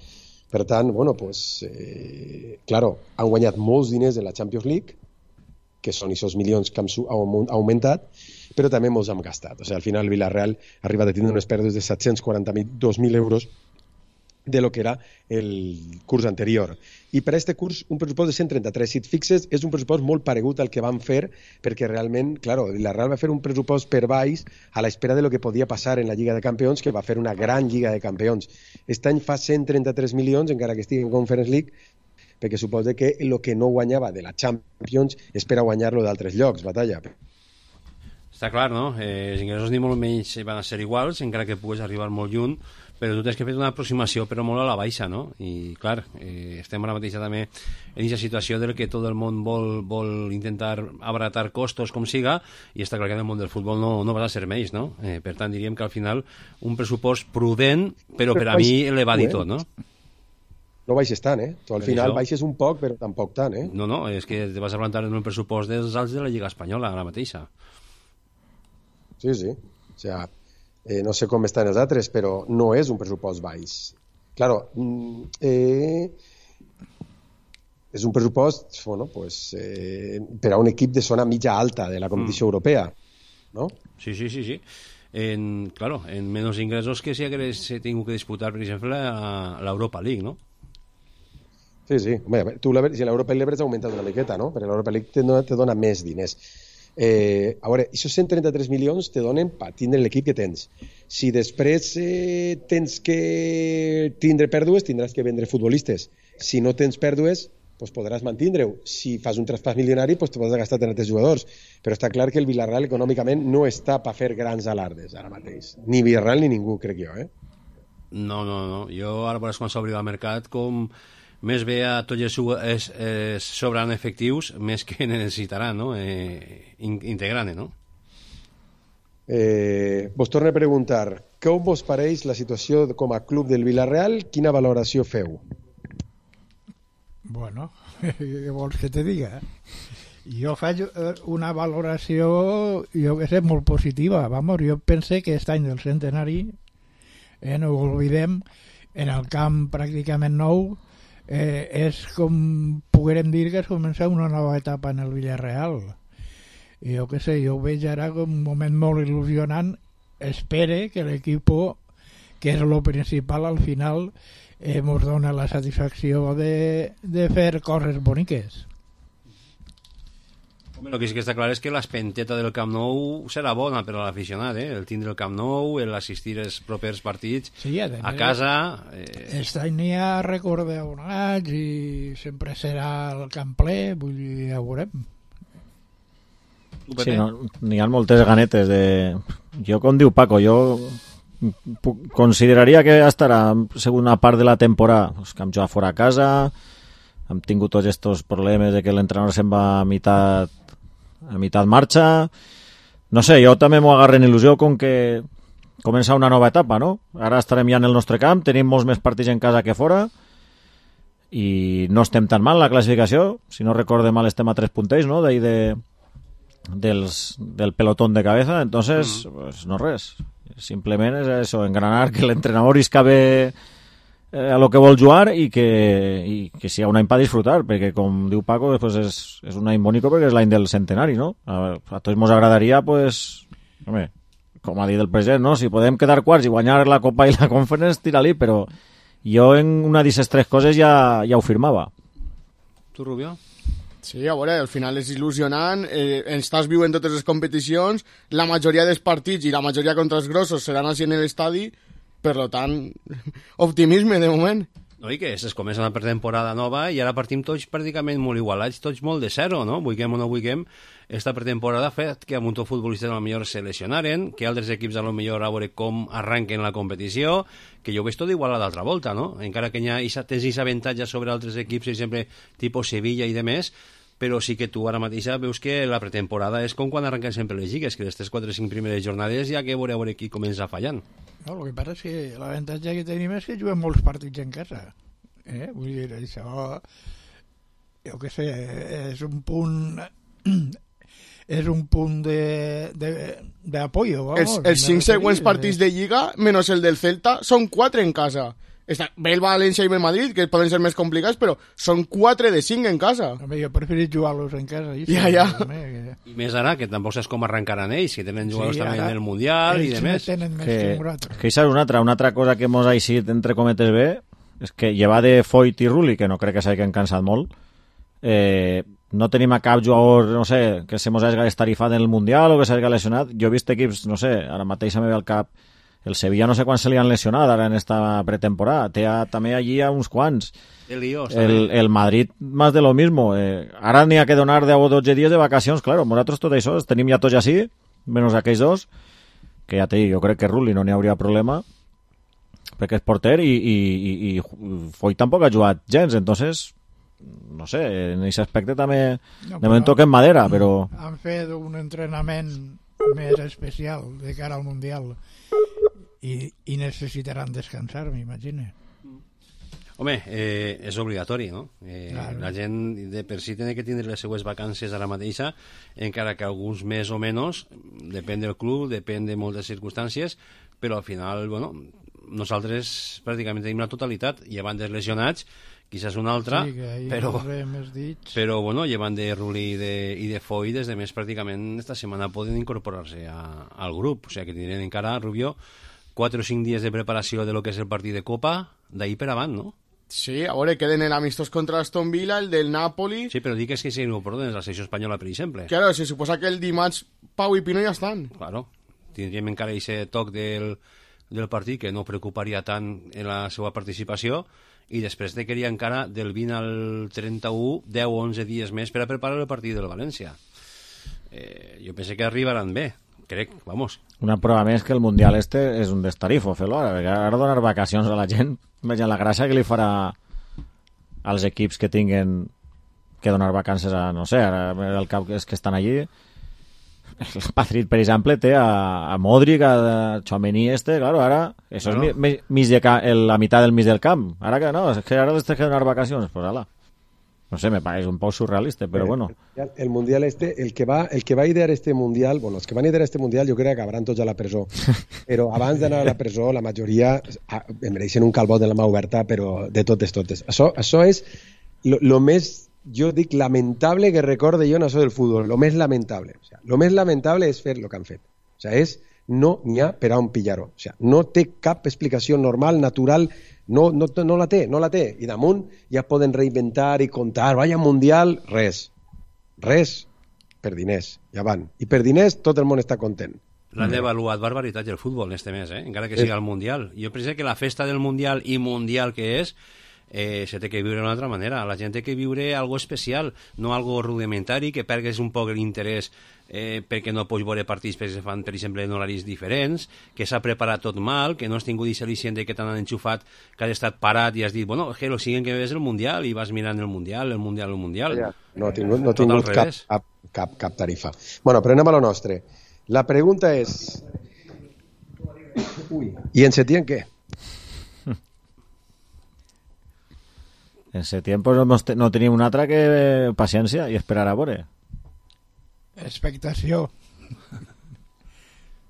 Per tant, bueno, pues, claro, han guanyat molts diners en la Champions League, que són aquests milions que han augmentat, però també molts han gastat. O sigui, al final el Villarreal arriba a tindre unes pèrdues de 742.000 euros de lo que era el curs anterior. I per a aquest curs, un pressupost de 133. Si et fixes, és un pressupost molt paregut al que van fer, perquè realment, claro, la Real va fer un pressupost per baix a l'espera de lo que podia passar en la Lliga de Campions, que va fer una gran Lliga de Campions. Aquest any fa 133 milions, encara que estigui en Conference League, perquè suposa que el que no guanyava de la Champions és per a guanyar-lo d'altres llocs, batalla. Està clar, no? Els ingressos ni molt menys van a ser iguals, encara que pugues arribar molt lluny, però tu tens que fer una aproximació però molt a la baixa, no? I clar, estem ara mateix també en aquesta situació del que tot el món vol intentar abaratar costos com siga, i està clar que en el món del futbol no va a ser menys, no? Per tant diríem que al final un pressupost prudent, però per a mi elevat i tot, no? No baixes tant, Tu al final baixes un poc, però tampoc tant, No, és que te vas a plantar en un pressupost dels alts de la Lliga Espanyola, ara mateixa. Sí. O sea, no sé com estan els altres, però no és un pressupost baix. Claro, és un pressupost, bueno, pues, per a un equip de zona mitja alta de la competició europea, ¿no? Sí. Claro, en menos ingressos que si hagués tingut que disputar, per exemple, l'Europa League, ¿no? Sí. Home, tu si l'Europa League l'hauràs augmentat una miqueta, no? Perquè l'Europa League te dona més diners. A veure, aquests 133 milions te donen per tindre l'equip que tens. Si després tens que tindre pèrdues, tindràs que vendre futbolistes. Si no tens pèrdues, pues podràs mantindre-ho. Si fas un traspàs milionari, pues te pots gastar en altres jugadors. Però està clar que el Villarreal econòmicament no està per fer grans alardes ara mateix. Ni Villarreal ni ningú, crec jo, No. Jo ara veuràs quan s'obri el mercat com més bé a tots els sobran efectius més que necessitaran, no? Integrant, no? Vos torno a preguntar, com vos pareix la situació com a club del Villarreal? Quina valoració feu? Bueno, què vols que te diga? Jo faig una valoració, jo que sé, molt positiva. Vamos, jo pense que aquest any del centenari, no ho oblidem, en el camp pràcticament nou, és com poguérem dir que es comença una nova etapa en el Villarreal. Jo que sé, jo ho veig ara com un moment molt il·lusionant. Espere que l'equip, que és el principal al final, ens dona la satisfacció de fer coses boniques. Home, el que sí que està clar és que l'espenteta del Camp Nou serà bona per a l'aficionat, el tindre el Camp Nou, l'assistir als propers partits a casa... Aquest any n'hi ha rècord d'abonats i sempre serà el camp ple, vull dir, ja ho veurem. Sí, n'hi ha moltes ganetes de... Jo, com diu Paco, jo consideraria que estarà segona part de la temporada, pues, que hem jugat fora a casa, hem tingut tots aquests problemes de que l'entrenador se'n va a meitat marxa. No sé, jo també m'ho agarro en il·lusió com que comença una nova etapa, no? Ara estarem ja en el nostre camp, tenim molts més partits en casa que fora i no estem tan mal la classificació, si no recorde mal estem a 3 puntells, no? D'ahí del pelotón de cabeza, entonces pues no res, simplement és eso, engranar que l'entrenador isca bé a lo que vol jugar i que sigui un any per disfrutar, perquè com diu Paco pues és un any bonico perquè és l'any del centenari, no? A tots ens agradaria, pues, home, com ha dit el president, no? Si podem quedar quarts i guanyar la Copa i la Conference, tira-li, però jo en una d'aquestes 3 coses ja ho firmava. Tu, Rubio? Sí, a veure, al final és il·lusionant, estàs viu en totes les competicions, la majoria dels partits i la majoria contra els grossos seran així en l'estadi, per tant, optimisme de moment. No, i que es comença una pretemporada nova i ara partim tots pràcticament molt igualats, tots molt de zero, no? Vulguem o no vulguem, esta pretemporada ha fet que a muchos futbolistes a lo millor se lesionaren, que altres equips a lo millor a veure com arranquen la competició, que jo ho veig tot igual a l'altra volta, no? Encara que tens aquest avantatge sobre altres equips, per exemple, tipus Sevilla i demés, però sí que tu ara mateixa veus que la pretemporada és com quan arrenquen sempre les lligues, que les 3, 4, 5 primeres jornades ja que veure qui comença fallant. No, el que passa és que l'avantatge que tenim és que juguem molts partits en casa. Vull dir, això, jo què sé, és un punt d'apoyo. Els 5 següents partits de Lliga, menys el del Celta, són 4 en casa. Ve el València i el Madrid, que poden ser més complicats, però són 4 de 5 en casa. Home, jo preferit jugar-los en casa. Ja. I més ara, que tampoc saps com arrencaran ells, que tenen jugadors també en el Mundial i demés. Que això és una altra cosa que mos ha eixit, entre cometes bé, és que llevar de Foyt i Rulli, que no crec que s'hagin cansat molt, no tenim a cap jugador, no sé, que se mos hagi estarifat en el Mundial o que s'hagi lesionat. Jo he vist equips, no sé, ara mateix me ve al cap el Sevilla, no sé quan se li han lesionat ara en esta pretemporada, té també allí a uns quants. El Madrid más de lo mismo. Ara n'hi ha que donar 10 o 12 dies de vacacions, claro, nosaltres tot això tenim ja tots així, menys aquells dos, que ja te dic, jo crec que Rulli no n'hi hauria problema, perquè és porter i Foyt tampoc ha jugat gens, entonces no sé, en aquest aspecte també de moment toquem madera, però han fet un entrenament més especial de cara al Mundial i necessitaran descansar, m'imagino. Home, és obligatori, no? Claro. La gent de per si té que tindre les seues vacances ara mateixa, encara que alguns més o menys, depèn del club, depèn de moltes circumstàncies, però al final, bueno, nosaltres pràcticament tenim la totalitat, llevant dels lesionats, quizás una altra, sí, però bueno, llevant de Rulli i de Foyt, des de més pràcticament esta setmana poden incorporar-se al grup, o sigui que tindrem encara, Rubio, 4 o 5 dies de preparació de lo que és el partit de Copa, d'ahir per avant, no? Sí, a veure, queden el amistós contra l'Aston Villa, el del Napoli... Sí, però dic que si no ho porten la selecció espanyola, per exemple. Claro, se suposa que el dimarts Pau i Pino ja estan. Claro, tindríem encara aquest toc del partit que no preocuparia tant en la seva participació, i després de queria encara del 20 al 31 10 o 11 dies més per a preparar el partit del València. Jo penso que arribaran bé, crec, vamos. Una prova més que el Mundial este és un destarifo, fer-lo ara, perquè ara donar vacacions a la gent, veja la gràcia que li farà als equips que tinguen que donar vacances a, no sé, ara el cap és que estan allí. El Madrid, per exemple, té a Modric, a Tchouaméni claro, ara, eso claro. És la meitat del mig del camp. Ara que no, és que ara les tens que donar vacacions, pues ala. No sé, me parece un poco surrealista, pero bueno. El Mundial el que va a idear este Mundial, bueno, els que van idear este Mundial jo crec que acabaran tots a la presó. Però abans d'anar a la presó, la majoria em mereixen un calbot de la mà oberta, però de totes. Això és lo més, jo dic, lamentable que recorde jo en això del futbol. Lo més lamentable. O sea, lo més lamentable és fer lo que han fet. O sea, no n'hi ha per a on pillar-ho. O sea, no té cap explicació normal, natural. No la té. I damunt ja poden reinventar i contar, vaya Mundial, res, per diners, ja van. I per diners tot el món està content. L'han devaluat barbaritat el futbol este mes, encara que siga el Mundial. Jo penso que la festa del Mundial i Mundial que és, se té que viure d'una altra manera. La gent té que viure algo especial, no algo rudimentari, que pergues un poc l'interès perquè no pots veure partits perquè se fan, per exemple, en horaris diferents, que s'ha preparat tot mal, que no has tingut aquest al·licient que t'han enxufat, que has estat parat i has dit, bueno, que lo siguen que ves el Mundial, i vas mirant el Mundial. Ja, no ha tingut cap tarifa. Bueno, però anem a lo nostre. La pregunta és... ¿Y en Setién qué? En Setién pues no tenim una altra que paciència i esperar a veure. Expectació.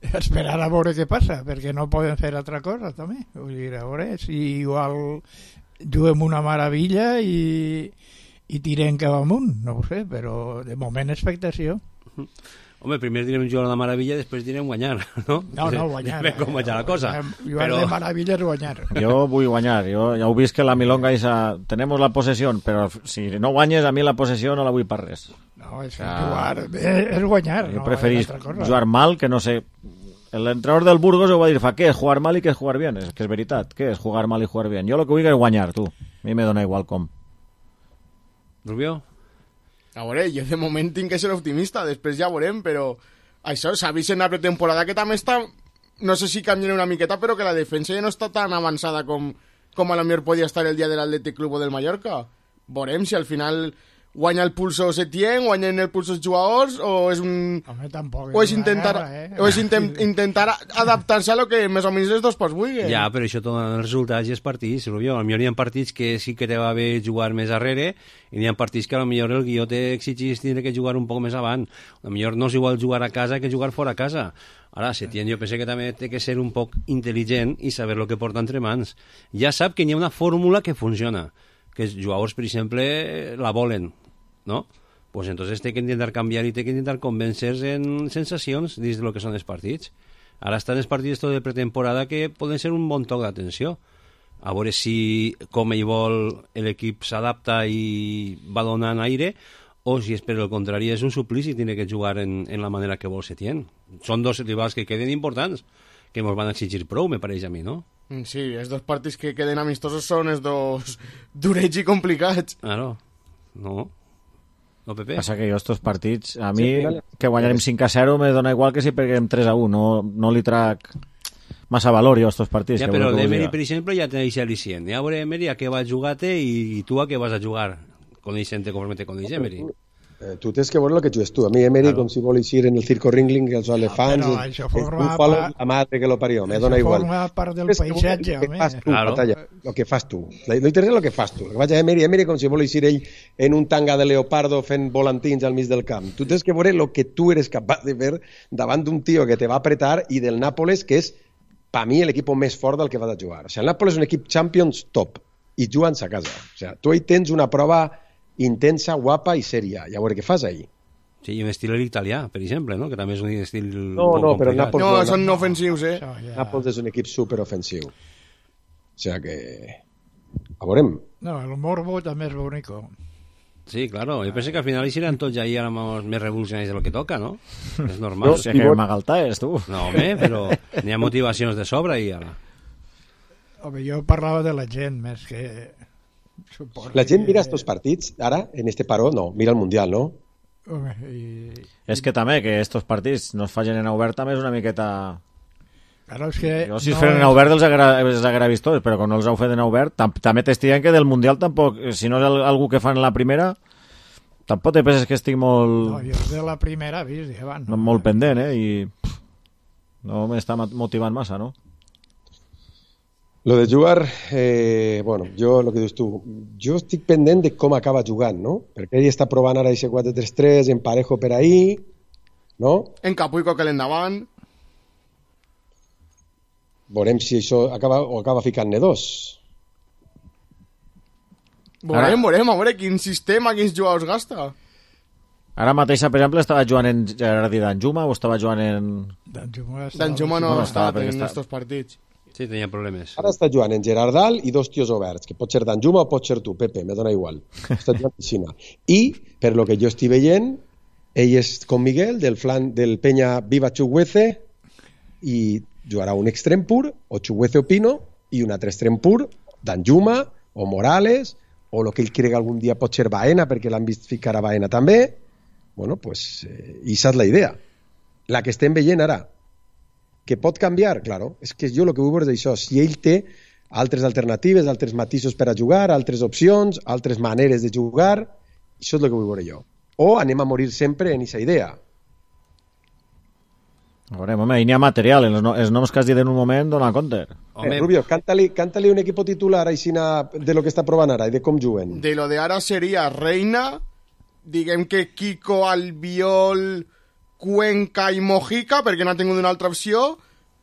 Esperar a veure què passa, perquè no poden fer altra cosa també. Vull dir, a veure, si igual juguem una meravella i tirem cap amunt, no ho sé, però de moment expectació. Home, primer direm jugar una meravella, després direm guanyar, no? No, guanyar. Depèn com vaig a la cosa. Jugar de meravella és guanyar. Jo vull guanyar. Jo ja ho vist que la milonga tenemos la posesión, però si no guanyes, a mi la possessió no la vull per res. No, és jugar, és guanyar. Jo preferís jugar mal, que no sé... L'entrenador del Burgos ho va dir, què és jugar mal i què és jugar bien? És que és veritat, què és jugar mal i jugar bien? Jo el que vull és guanyar, tu. A mi me dona igual com. Rubio? A veure, jo de moment tinc que ser optimista, després ja veurem, però això s'ha vist en la pretemporada que també està, no sé si canviarà una miqueta, però que la defensa ja no està tan avançada com a lo millor podia estar el dia de l'Atlètic Club o del Mallorca. Veurem si al final guanya el pulso Setién, guanyen el pulso els jugadors, o és un... Home, tampoc o és intentar adaptar-se a lo que més o menys els dos pots vulguin. Ja, però això dona els resultats i els partits, Rubio. Potser hi ha partits que sí que te va bé jugar més darrere, i hi ha partits que potser el guió t'exigís tindre que jugar un poc més avant. Potser no és igual jugar a casa que jugar fora a casa. Ara, Setién jo penso que també té que ser un poc intel·ligent i saber el que porta entre mans. Ja sap que hi ha una fórmula que funciona, que els jugadors, per exemple, la volen, ¿no? Pues entonces té que intentar canviar i té que intentar convèncer-se en sensacions dins del que són els partits. Ara estan els partits de pretemporada que poden ser un bon toc d'atenció. A veure si, com ell vol, l'equip s'adapta i va donant aire, o si és per el contrari és un suplici i tiene que jugar en la manera que vol Setién. Són dos rivals que queden importants, que ens van exigir prou, me pareix a mi, no? Sí, els dos partits que queden amistosos són els dos durets i complicats. Claro, no, Pepe? Passa que jo estos partits, a mi, que guanyarem 5-0 me dona igual que si peguem 3-1, no li trac massa valor jo a estos partits. Ja, però l'Emery, per exemple, ja té al·licient. Ja veure Emery a què va jugar-te i tu a què vas a jugar. Coneixent-te conforme te coneix Emery. Tu tens que veure el que jugues tu. A mi Emery, com si vol eixir en el circo Ringling, els elefants, un palo, la madre que lo parió, me dona igual. Forma part del paisatge, home. El que fas tu. No interessa el que fas tu. El que vaig a Emery com si vol eixir ell en un tanga de leopardo fent volantins al mig del camp. Tu tens que veure el que tu eres capaç de fer davant d'un tio que te va apretar i del Nàpoles, que és, per mi, l'equip més fort del que vas a jugar. O sigui, el Nàpoles és un equip Champions top i jugant a casa. O sigui, tu ahí tens una prova intensa, guapa i sèria. I a veure què fas ahí. Sí, i un estil italià, per exemple, no? Que també és un estil no, però Nàpols no, són ofensius, Nàpols és un equip superofensiu. O sigui que... A veurem. No, el morbo també és bonico. Sí, claro. Yo pensé que al final hicieran todos ya éramos más revolucionarios de lo que toca, ¿no? Es normal. No, si que m'agaltaes, tu. No, home, però n'hi ha motivacions de sobre i ara. Home, jo parlava de la gent més que... La gent mira estos partits, ara, en este paró, no, mira el Mundial, no? Home, És que també que estos partits no es facin en obert també és una miqueta... Claro, és que... Jo si es feren en obert els haguera vist tots, però quan no els heu fet en obert, també t'estiren que del Mundial tampoc, si no és algú que fan en la primera, tampoc te penses que estic molt... No, jo de la primera he vist, abans. No, molt pendent, i no m'està motivant massa, no? Lo de jugar, bueno, jo, el que dius tu, jo estic pendent de com acaba jugant, no? Perquè ell està provant ara aquest 4-3-3, en Parejo per ahí, no? En Capuico que l'endavant. Veurem si això acaba ficant-ne dos. Veurem, a veure quin sistema, quins jugadors gasta. Ara mateix, per exemple, estava jugant en Gerard i Danjuma o estava jugant en... Danjuma no ha estat en estos partits. Sí, tenia problemes. Ara està jugant en Gerard Dal i dos tios oberts, que pot ser Danjuma o pot ser tu, Pepe, me dona igual. Està jugant a piscina. I, per lo que jo estic veient, ell és com Miguel, del flan del Peña Viva Chuguece, i jugarà un extrem pur, o Chuguece o Pino, i un altre extrem pur, Danjuma o Morales, o el que ell crega algun dia pot ser Baena, perquè l'han vist ficar a Baena també. Bueno, pues, i esa és la idea. La que estem veient ara, que pot canviar, claro, és que jo el que vull veure és això, si ell té altres alternatives, altres matisos per a jugar, altres opcions, altres maneres de jugar, això és el que vull veure jo. O anem a morir sempre en aquesta idea. A veure, home, hi n'hi ha material, els noms que has dit en un moment dona compte. Rubio, canta-li un equipo titular aixina de lo que està provant ara i de com juguen. De lo de ara seria Reina, diguem que Kiko, Albiol, Cuenca i Mojica, perquè no ha tingut una altra opció,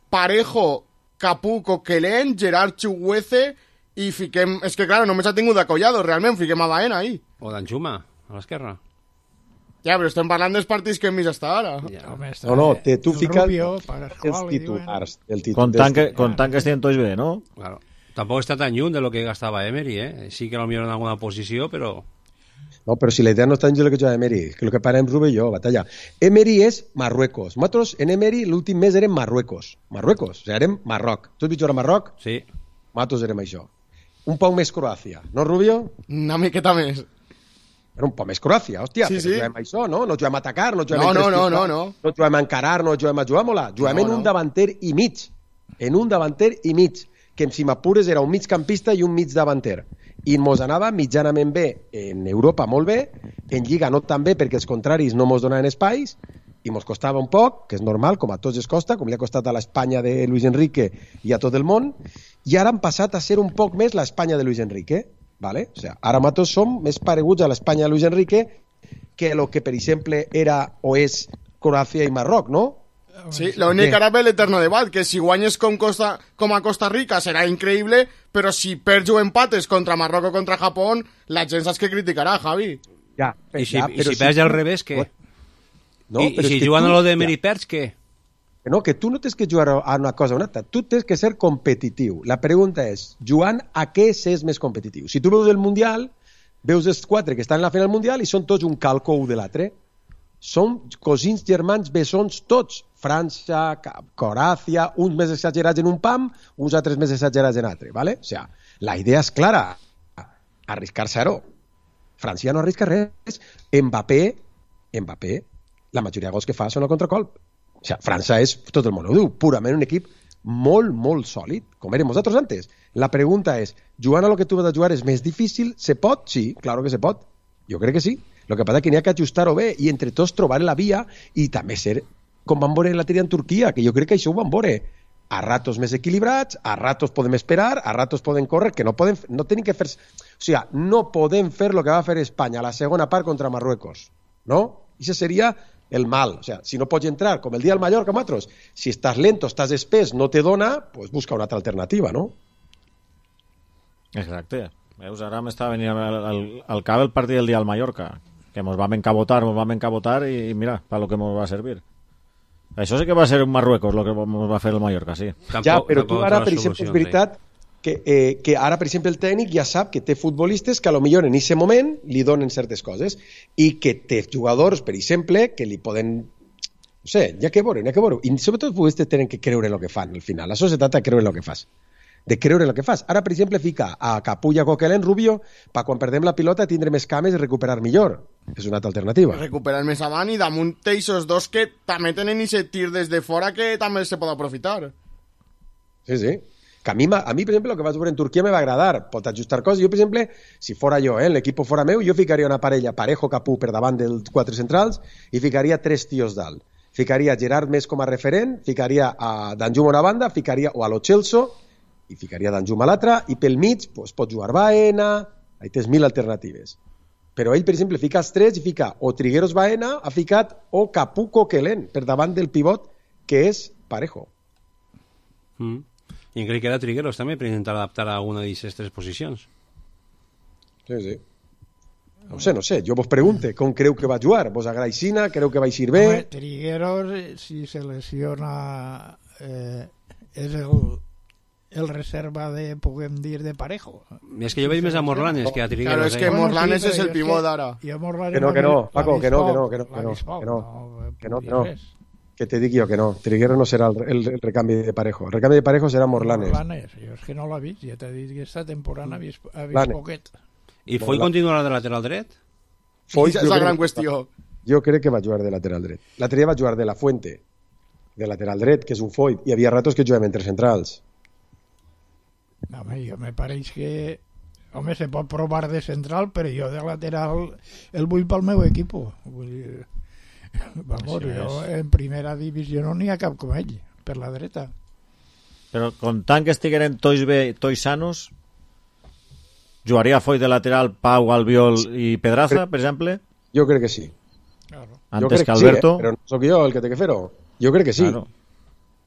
Parejo, Capuco, Quelén, Gerard Chuguece, i fiquem... És que, clar, només ha tingut a Collado, realment, fiquem a Baena ahí. O Danjuma, a l'esquerra. Ja, però estem parlant dels partits que hem vist hasta ara. Ja. No, tu fica els titulars. Contant que estiguin tots bé, no? Claro. Tampoc està tan lluny de lo que gastava Emery, Sí que potser en alguna posició, però... No, però si la idea no està en el que juga Emery, que el que parem Rubio i jo, batalla. Emery és Marruecos. Nosaltres en Emery l'últim mes érem Marruecos. Marruecos, o sigui, érem Marroc. Tu has vist jugar a Marroc? Sí. Nosaltres érem això. Un poc més Croàcia, no, Rubio? Una miqueta més. Era un poc més Croàcia, hòstia, sí, sí. Juguem a això, no? No juguem a atacar, no juguem no. No juguem a encarar, no juguem a jugar mola. Juguem en un davanter i mig. En un davanter i mig. Que si m'apures era un migcampista i un mig davanter. I mos anava mitjanament bé en Europa, molt bé, en Lliga no tan bé perquè els contraris no mos donaven espais i mos costava un poc, que és normal, com a tots es costa, com li ha costat a l'Espanya de Luis Enrique i a tot el món, i ara han passat a ser un poc més l'Espanya de Luis Enrique, ¿vale? O sea, ara nosaltres som més pareguts a l'Espanya de Luis Enrique que el que, per exemple, era o és Croàcia i Marroc, no? Sí, l'únic que ara ve l'eterno debat, que si guanyes com a Costa Rica serà increïble, però si perds o empates contra Marroc o contra Japó, la gent saps que criticarà, Javi. Ja, I si perds al revés, què? No, I si juguen a lo de Emery perds, què? No, que tu no tens que jugar a una cosa o una altra, tu tens que ser competitiu. La pregunta és, jugant a què s'és més competitiu? Si tu veus el Mundial, veus els 4 que estan en la final Mundial i són tots un calco un de l'altre. Són cosins germans bessons tots. França, Croàcia, uns més exagerats en un pam, uns altres més exagerats en altre, ¿vale? O sea, la idea és clara, arriscar zero. França no arrisca res. Mbappé, la majoria de gols que fa són al contracolp. O sea, França és, tot el món ho diu, purament un equip molt, molt sòlid, com érem nosaltres antes. La pregunta és, jugant a lo que tu vas a jugar és més difícil? Se pot? Sí, claro que se pot. Jo crec que sí. Lo que passa és que n'hi ha que ajustar-ho bé i entre tots trobar la via i també ser com van veure la tria en Turquia, que jo crec que això ho van veure. A ratos més equilibrats, a ratos podem esperar, a ratos podem córrer, que no tenim que fer... O sigui, no podem fer el que va fer Espanya a la segona part contra Marruecos, no? I això seria el mal. O sigui, si no pots entrar, com el dia al Mallorca, nosaltres, si estàs lento, estàs espès, no te dona, pues busca una altra alternativa, no? Exacte. Veus, ara m'estava venint al cap el partit del dia al Mallorca, que mos vam encabotar i mira, per lo que mos va servir. Això sí que va ser un Marruecos, el que va fer el Mallorca, sí. Ja, però tu ara, per exemple, és veritat que ara, per exemple, el tècnic ja sap que té futbolistes que a lo millor en aquest moment li donen certes coses i que té jugadors, per exemple, que li poden... No sé, hi ha que veure. I sobretot els futbolistes tenen que creure en el que fan, al final. La societat ha de creure en el que fas. De creure en el que fas. Ara, per exemple, fica a Capulla, Coquelin, Rubio, per quan perdem la pilota tindre més cames i recuperar millor. És una altra alternativa. Recuperar més avant i damunt teixos dos que també tenen aquest tir des de fora que també se pot aprofitar. Sí. Que a mi, per exemple, el que vaig veure en Turquia me va agradar. Pot ajustar coses. Jo, per exemple, si fora jo, l'equip fora meu, jo ficaria una parella Parejo-Capú per davant dels 4 centrals i ficaria 3 tios dalt. Ficaria Gerard més com a referent, ficaria a Danjum a una banda, ficaria o a Lo Celso i ficaria Danjum a l'altra, i pel mig pues, pot jugar Baena, hi tens 1000 alternatives. Però ell, per exemple, fica els 3 i fica o Trigueros Baena, ha ficat o Capú Coquelin per davant del pivot, que és Parejo. I crec que era Trigueros també per intentar adaptar a alguna d'aquestes 3 posicions. Sí. No sé, jo vos pregunte com creu que va jugar, vos agrada Sina, creu que va eixir bé? Home, Trigueros, si se lesiona, és el reserva de, podem dir, de Parejo. És que jo veig més a Morlanes que a Trigueros. Claro, és que Morlanes és el pivot d'ara. Que no, Paco, que no. Que te dic jo que no. Trigueros no serà el recanvi de Parejo. El recanvi de Parejo serà Morlanes. Jo és que no l'ha vist, ja t'he dit que aquesta temporada ha vist poquet. I Foy continuarà de lateral dret? Foy és la gran qüestió. Jo crec que va jugar de lateral dret. L'altre dia va jugar de la Fuente, de lateral dret, que és un Foy. Hi havia ratos que jugaven entre centrals. No, home, jo me pareix que... Home, se pot provar de central, però jo de lateral el vull pel meu equip. Vull dir... Vamos, jo en primera divisió no n'hi ha cap com ell, per la dreta. Però comptant que estigueren tots bé, tots sanos, jugaria Foy de lateral, Pau, Albiol i Pedraza, per exemple? Jo crec que sí. Claro. Antes que Alberto. Sí, però no sóc jo el que té que fer-ho. Jo crec que sí. Claro.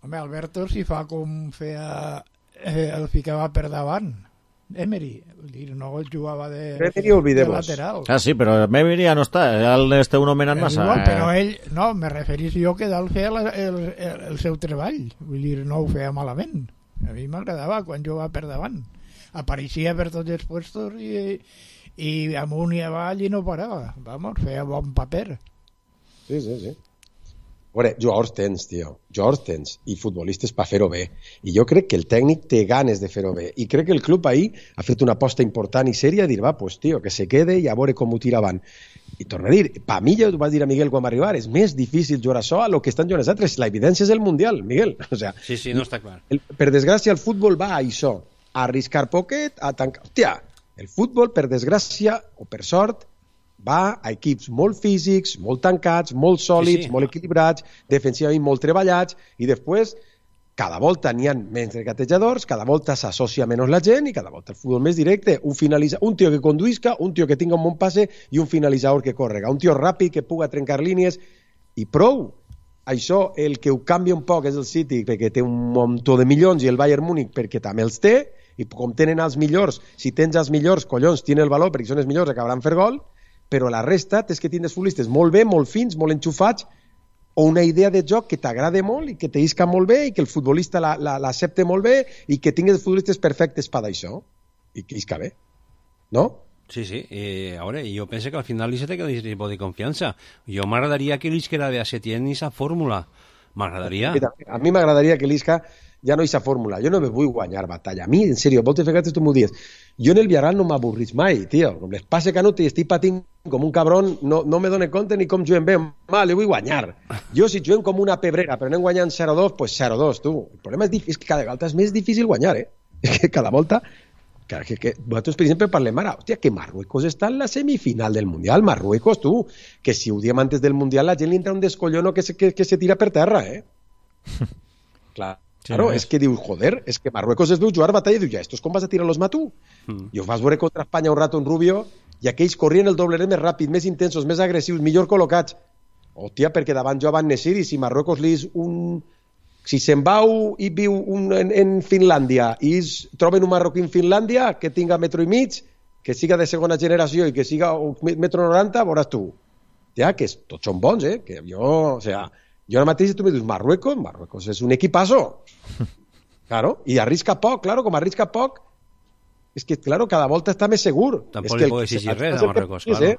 Home, Alberto si fa com feia... el ficava per davant. Emery, no el jugava de lateral. Ah, sí, però Emery ja no està, ja l'esteu nomenant massa. Igual, però ell, no, me referís jo que dalt feia el seu treball, vull dir, no ho feia malament. A mi m'agradava quan jugava per davant. Apareixia per tots els puestos i amunt i avall i no parava. Vamos, feia bon paper. Sí. A veure, jugadors tens, i futbolistes per fer-ho bé. I jo crec que el tècnic té ganes de fer-ho bé. I crec que el club ahir ha fet una aposta important i sèria a dir, va, pues, tio, que se quede i a veure com ho tira avant. I torno a dir, per mi, ja ho vaig dir a Miguel quan va arribar, és més difícil jugar això a lo que estan jugant els altres. La evidència és el Mundial, Miguel. O sea, sí, no està clar. Per desgràcia, el futbol va a això, a arriscar poquet, a tancar... Hòstia, el futbol, per desgràcia, o per sort, va a equips molt físics, molt tancats, molt sòlids, molt equilibrats, defensivament molt treballats, i després cada volta n'hi ha menys regatejadors, cada volta s'associa menys la gent i cada volta el futbol més directe, un tio que conduisca, un tio que tinga un bon passe i un finalitzador que córrega, un tio ràpid que puga trencar línies i prou. Això, el que ho canvia un poc és el City perquè té un muntó de milions i el Bayern Múnich perquè també els té, i com tenen els millors, si tens els millors, collons, tienen el valor perquè són els millors, acabaran fer gol, però la resta és que tindres futbolistes molt bé, molt fins, molt enxufats, o una idea de joc que t'agrada molt i que t'isca molt bé i que el futbolista l'accepta molt bé i que tingues futbolistes perfectes per això i que isca bé, no? Sí. A veure, jo penso que al final li se té que dir de confiança. Jo m'agradaria que l'Isca era de Setién i sa fórmula. M'agradaria. A mi m'agradaria que l'Isca ja no hi sa fórmula. Jo no me vull guanyar batalla. A mi, en sèrio, moltes vegades tu m'ho dius. Jo en el Villarreal no m'avorrís mai, tio. Com les passe Canut i estic patint com un cabron, no me dono compte ni com juguem bé. Mal, jo vull guanyar. Jo si juguem com una pebrera, però anem guanyant 0-2, pues 0-2, tu. El problema és que cada volta és més difícil guanyar, És que cada volta... Que vosaltres, per exemple, parlem ara, hòstia, que Marruecos està en la semifinal del Mundial. Marruecos, tu, que si ho diem antes del Mundial la gent li entra un descollono que se tira per terra, Claro, és que diu, joder, és que Marruecos es veu jugar batalla i diu, ja, estos com vas a tirar los matú? I ho vas veure contra Espanya un rato en Rubio i aquells corrien el doble més ràpid, més intensos, més agressius, millor col·locats. Hòstia, perquè davant jo van Nesir i si Marruecos li és un... Si se'n vau i viu en Finlàndia i troben un marroquí en Finlàndia que tinga metro i mig, que siga de segona generació i que siga metro 90, veuràs tu. Ja, que tots són bons, Que jo, o sea... Jo ara mateix tu me dius, Marruecos és un equipazo. Claro, i arrisca poc, claro, com arrisca poc, és que, claro, cada volta està més segur. Tampoc li puc exigir res a Marruecos, claro.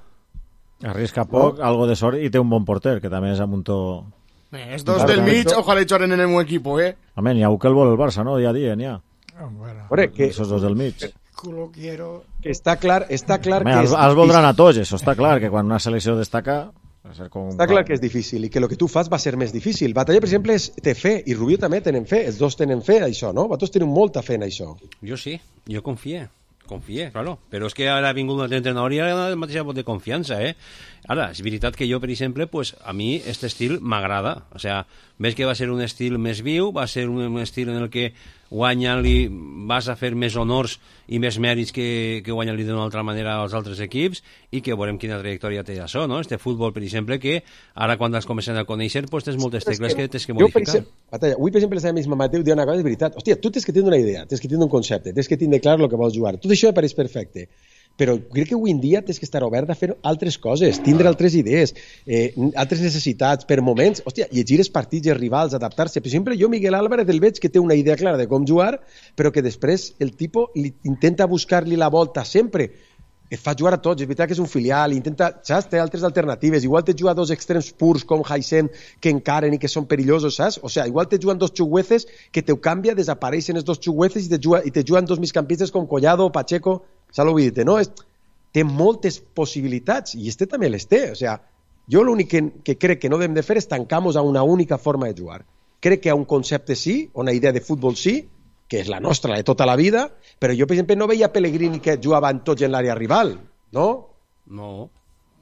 Arrisca poc, algo de sort, i té un bon porter, que també és Amuntó. Els dos del mig, ojalá jueguen en el meu equip, Home, n'hi ha un que el vol el Barça, no? Dia a dia, n'hi ha. Esos dos del mig. Que està clar Home, que els voldran a tots, això està clar, que quan una selecció destaca... Està clar que és difícil i que el que tu fas va ser més difícil. Batalla, per exemple, té fe, i Rubio també tenen fe, els dos tenen fe en això, no? Vosaltres tenen molta fe en això. Jo sí, jo confié, claro. Però és que ara ha vingut un altre entrenador i ara el mateix vot de confiança, Ara, és veritat que jo, per exemple, pues, a mi aquest estil m'agrada. O sea, ves que va ser un estil més viu, va ser un estil en el que guanyant-li vas a fer més honors i més mèrits que guanyant-li d'una altra manera als altres equips, i que veurem quina trajectòria té això, no? Este futbol, per exemple, que ara quan els comencen a conèixer, pues tens moltes tecles que tens que modificar. Avui, per exemple, la misma Mateu diu una cosa, és veritat. Hòstia, tu tens que tenir una idea, tens que tenir un concepte, tens que tenir clar el que vols jugar. Tot això me pareix perfecte. Però crec que avui en dia tens que estar obert a fer altres coses, tindre altres idees, altres necessitats, per moments, llegir els partits i els rivals, adaptar-se. Per exemple, jo Miguel Álvarez el veig que té una idea clara de com jugar, però que després el tipus intenta buscar-li la volta sempre. Et fa jugar a tots, és veritat que és un filial, intenta, saps, té altres alternatives, igual te juga dos extrems purs com Haysem que encaren i que són perillosos, saps? O sea, igual te juguen dos xugueces que te canvia, desapareixen els dos xugueces i te juguen dos migcampistes com Collado o Pacheco, saps l'ho dit, no? Té moltes possibilitats i este també les té, o sea, jo l'únic que crec que no hem de fer és tancar-nos a una única forma de jugar. Crec que a un concepte sí, una idea de futbol sí, que és la nostra, la de tota la vida, però jo, per exemple, no veia Pellegrini que jugaven tots en l'àrea rival, no? No,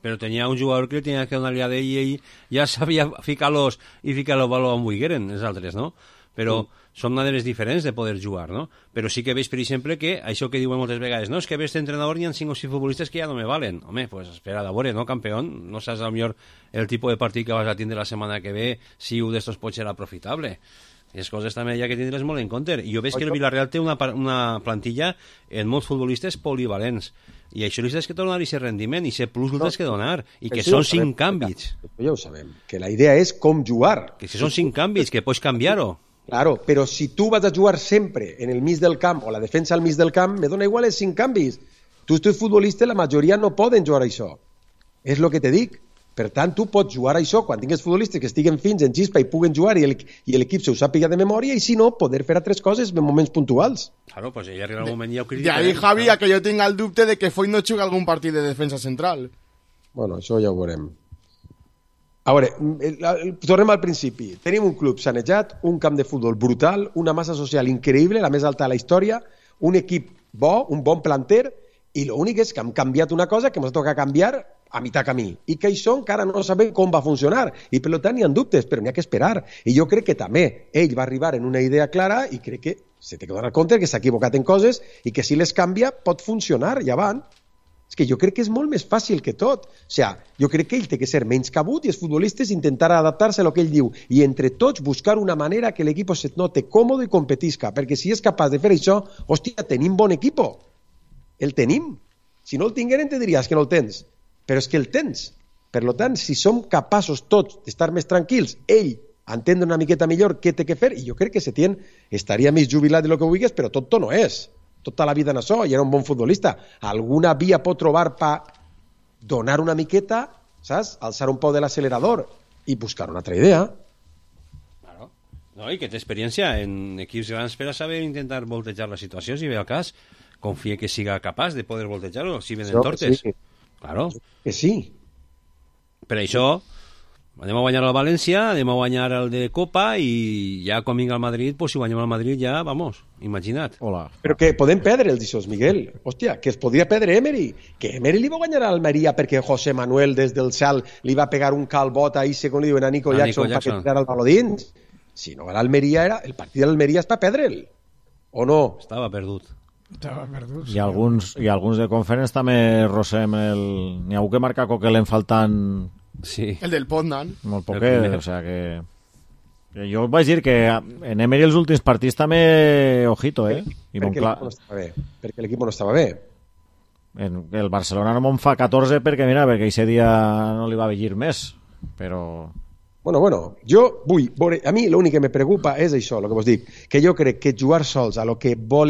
però tenia un jugador que tenia que donar-li a ell i ell ja sabia ficar-los i ficar-los baló on vulgueren, els altres, no? Però són maneres diferents de poder jugar, no? Però sí que veig, per exemple, que això que diuen moltes vegades, no, és que veig entrenador hi ha 5 o 6 futbolistes que ja no me valen. Home, pues espera, a veure, no, campeón? No saps millor el tipus de partit que vas a tindre la setmana que ve, si un d'estos pot ser aprofitable. I les coses també hi ha que tindre's molt en compte. I jo veig que el Villarreal té una plantilla en molts futbolistes polivalents. I això li tens que donar aquest rendiment, i ser plus li tens que donar. I que són 5 canvis. Ja ho sabem, que la idea és com jugar. Que si són 5 canvis, que pots canviar-ho. Claro, però si tu vas a jugar sempre en el mig del camp o la defensa al mig del camp, me dona igual els 5 canvis. Tu ets futbolista, la majoria no poden jugar això. És el que te dic. Per tant, tu pots jugar això quan tingues futbolistes que estiguen fins en xispa i puguen jugar i l'equip se ho sàpiga de memòria, i si no, poder fer altres coses en moments puntuals. Claro, pues ja arriba el moment ja ho critica. De ahí, Javi, a que jo tinc el dubte de que Foyt no juga algun partit de defensa central. Bueno, això ja ho veurem. A veure, tornem al principi. Tenim un club sanejat, un camp de futbol brutal, una massa social increïble, la més alta de la història, un equip bo, un bon planter, i l'únic és que hem canviat una cosa que ens toca canviar a mitjà camí, i que això encara no sabem com va funcionar, i per tant hi ha dubtes, però n'hi ha que esperar. I jo crec que també ell va arribar en una idea clara, i crec que se té que donar compte que s'ha equivocat en coses, i que si les canvia pot funcionar, ja van. És que jo crec que és molt més fàcil que tot. O sigui, jo crec que ell té que ser menys cabut i els futbolistes intentar adaptar-se a lo que ell diu, i entre tots buscar una manera que l'equip se note còmode i competisca, perquè si és capaç de fer això, hòstia, tenim bon equip. El tenim. Si no el tingueren te diries que no el tens, però és que el tens. Per tant, si som capaços tots d'estar més tranquils, ell entendre una miqueta millor què té que fer, i jo crec que Setién estaria més jubilat de lo que vulguis, però tot no és. Tota la vida en això, i era un bon futbolista. Alguna via pot trobar per donar una miqueta, saps? Alçar un poc de l'accelerador i buscar una altra idea. Claro. No, i que té experiència en equips grans per a saber intentar voltejar la situació, si ve el cas. Confia que siga capaç de poder voltejar-ho, si venen tortes. Sí. Claro. Que sí. Per això anem a guanyar el València, anem a guanyar el de Copa, i ja quan vinga el Madrid, pues si guanyem el Madrid ja, vamos, imagina't. Hola. Però que podem perdre els dissos, Miguel. Hòstia, que es podria perdre Emery. Que Emery li va guanyar a Almeria perquè José Manuel des del cel li va pegar un calbot ahí, segons li diuen a Nico Jackson, perquè tirar el baló dins. Si no, l'Almeria era... El partit de l'Almeria és per perdre'l. O no? Estava perdut. I alguns de Conference també rosem el... N'hi ha un que marca Coquelin faltant... Sí. El del Poznan. Molt poquet, o sea que... Jo vaig dir que en Emery els últims partits també ojito, I perquè l'equip no estava bé. Perquè l'equip no estava bé. El Barcelona no me'n fa 14 perquè, mira, perquè aquest dia no li va venir més. Però Bueno, jo vull veure... A mi l'únic que me preocupa és això, el que vos dic, que jo crec que jugar sols a lo que vol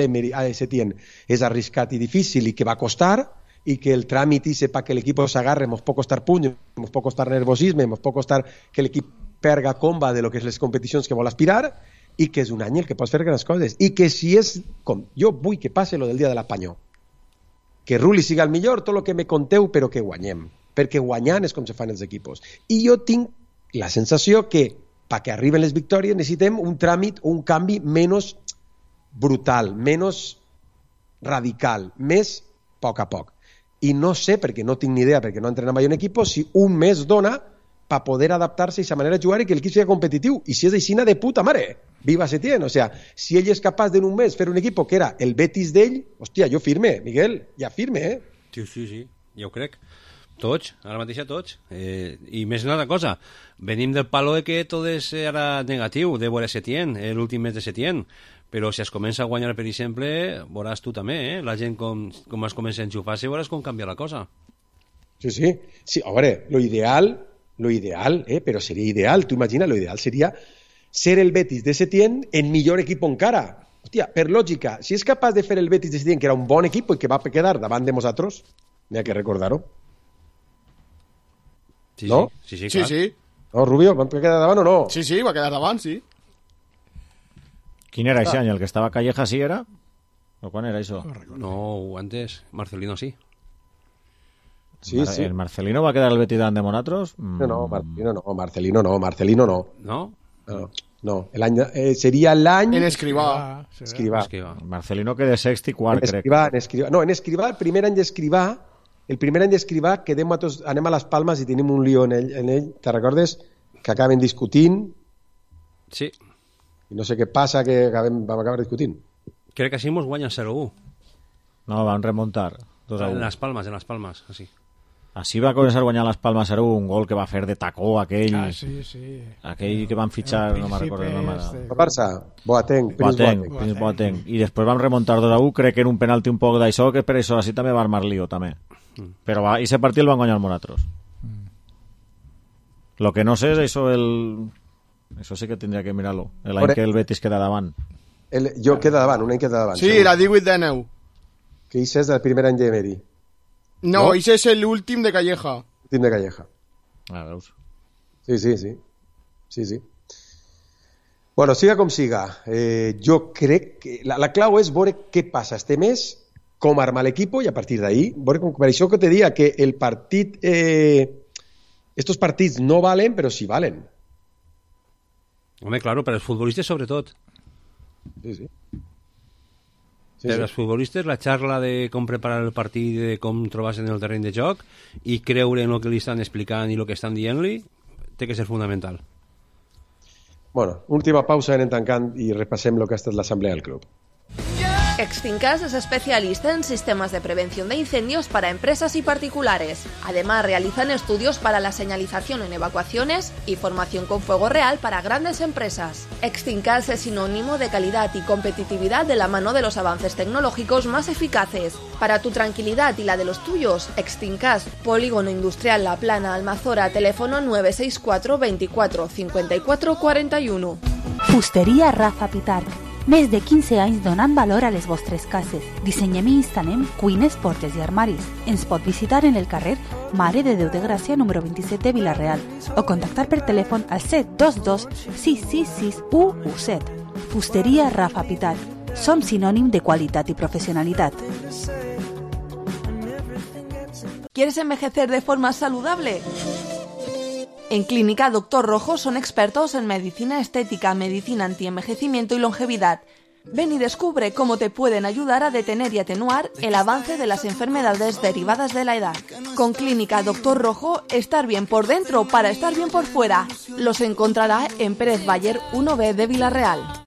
Setién és arriscat i difícil i que va costar, i que el tràmit i sepa que l'equip s'agarre, mos pot costar puny, mos pot costar nervosisme, mos pot costar que l'equip perga comba de lo que és les competicions que vol aspirar, i que és un any el que pots fer grans coses, i que si és com... Jo vull que passe lo del dia de l'apanyó, que Rulli siga el millor, tot el que me conteu, però que guanyem, perquè guanyant és com se fan els equipos. I jo tinc la sensació que perquè arriben les victòries necessitem un tràmit o un canvi menys brutal, menys radical, més a poc. I no sé, perquè no tinc ni idea, perquè no entrena mai un equip, si un mes dona per poder adaptar-se a aquesta manera de jugar i que l'equip sigui competitiu. I si és així, de puta mare, viva Setién. O sea, si ell és capaç en un mes fer un equip que era el Betis d'ell, hòstia, jo firme, Miguel, ja firme, Sí, jo crec. Tots, ara mateix tots. I més una cosa, venim del palo de que tot és ara negatiu, de veure Setién, l'últim mes de Setién, però si es comença a guanyar, per exemple, veuràs tu també, la gent com es comença a enxufar-se, veuràs com canvia la cosa. Sí, a veure, lo ideal, però seria ideal, tu imagina, lo ideal seria ser el Betis de Setién en millor equip encara. Hòstia, per lògica, si és capaç de fer el Betis de Setién, que era un bon equip i que va quedar davant de nosaltres, n'hi ha que recordar-ho. Sí, no? Sí, clar. Sí. No, Rubio, ¿va quedar davant o no? Sí, va quedar davant, sí. ¿Quién era ese año? ¿El que estaba Calleja sí era? ¿O cuál era eso? No, antes, Marcelino sí. Sí. ¿El Marcelino va a quedar el Betis de Monatros? No, Marcelino no. No? El any, seria l'any... En Escrivà. Marcelino que de sexto y cuarto, crec. En Escrivà, el primer any d'Escrivà, anem a les Palmes i tenim un lío en ell, te recordes? Que acaben discutint. Sí. I no sé què passa, que vam acabar discutint. Crec que així mos guanyen 0-1. No, van remontar 2-1. En les Palmes, així. Així va començar a guanyar les Palmes 0-1, un gol que va fer de tacó aquell. Sí. Aquell que van fitxar, no me'n recordo el nom ara. El Barça, Boateng. I després vam remuntar 2-1, crec que era un penalti un poc d'això, que per això així també va armar lío, també. Però va, i ese partit el van guanyar els Monatros. Lo que no sé és això Això sí que tindria que mirar-lo. L'any que el Betis queda davant. Jo queda davant, un any queda davant. Sí, la 18-19. Que això és del primer any d'Emery. No, això és l'últim de Calleja. L'últim de Calleja. Veus? Sí. Bueno, siga com siga. Jo crec que la clau és veure què passa este mes, com armar l'equip i a partir d'ahí, per això que te dia que el partit estos partits no valen, però sí valen. Home, claro, per als futbolistes sobretot. Sí. Per als futbolistes la xarra de com preparar el partit, de com trobar-se en el terreny de joc i creure en el que li estan explicant i el que estan dient-li, té que ser fundamental. Bueno, última pausa, anem tancant i repassem el que ha estat l'assemblea del club. Extincas es especialista en sistemas de prevención de incendios para empresas y particulares. Además, realizan estudios para la señalización en evacuaciones y formación con fuego real para grandes empresas. Extincas es sinónimo de calidad y competitividad de la mano de los avances tecnológicos más eficaces. Para tu tranquilidad y la de los tuyos, Extincas, Polígono Industrial La Plana, Almazora, teléfono 964 24 54 41. Fusteria Rafa Pitarch. Més de 15 anys donant valor a les vostres cases. Dissenyem i instal·lem cuines, portes i armaris. Ens pot visitar en el carrer Mare de Déu de Gràcia, número 27 de Vila-real, o contactar per telèfon al 722 666 117. Fusteria Rafa Pitarch. Som sinònim de qualitat i professionalitat. ¿Quieres envejecer de forma saludable? En Clínica Doctor Rojo son expertos en medicina estética, medicina antienvejecimiento y longevidad. Ven y descubre cómo te pueden ayudar a detener y atenuar el avance de las enfermedades derivadas de la edad. Con Clínica Doctor Rojo, estar bien por dentro para estar bien por fuera. Los encontrará en Pérez Bayer 1B de Vila-real.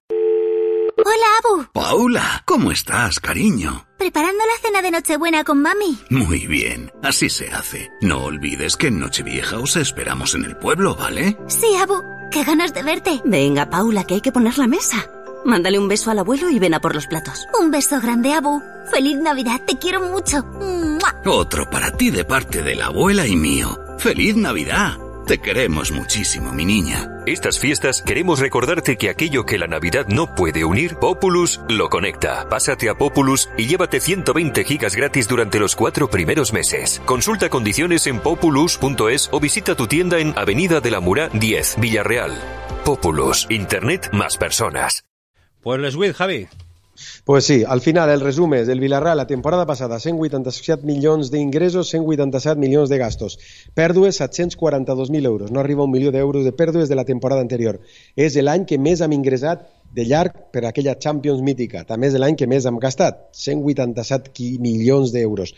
Hola, Abu. Paula, ¿cómo estás, cariño? Preparando la cena de Nochebuena con mami. Muy bien, así se hace. No olvides que en Nochevieja os esperamos en el pueblo, ¿vale? Sí, Abu. Qué ganas de verte. Venga, Paula, que hay que poner la mesa. Mándale un beso al abuelo y ven a por los platos. Un beso grande, Abu. Feliz Navidad, te quiero mucho. ¡Mua! Otro para ti de parte de la abuela y mío. ¡Feliz Navidad! Te queremos muchísimo, mi niña. Estas fiestas queremos recordarte que aquello que la Navidad no puede unir, Populus lo conecta. Pásate a Populus y llévate 120 gigas gratis durante los 4 primeros meses. Consulta condiciones en populus.es o visita tu tienda en Avenida de la Murá 10, Villarreal. Populus, Internet más personas. Pues les With, Javi. Pues sí, al final el resumen del Villarreal la temporada passada, 187 milions d'ingressos, 187 milions de gastos. Pèrdues, 742.000 euros. No arriba a 1 milió d'euros de pèrdues de la temporada anterior. És l'any que més hem ingressat de llarg per aquella Champions mítica. També és l'any que més hem gastat, 187 milions d'euros.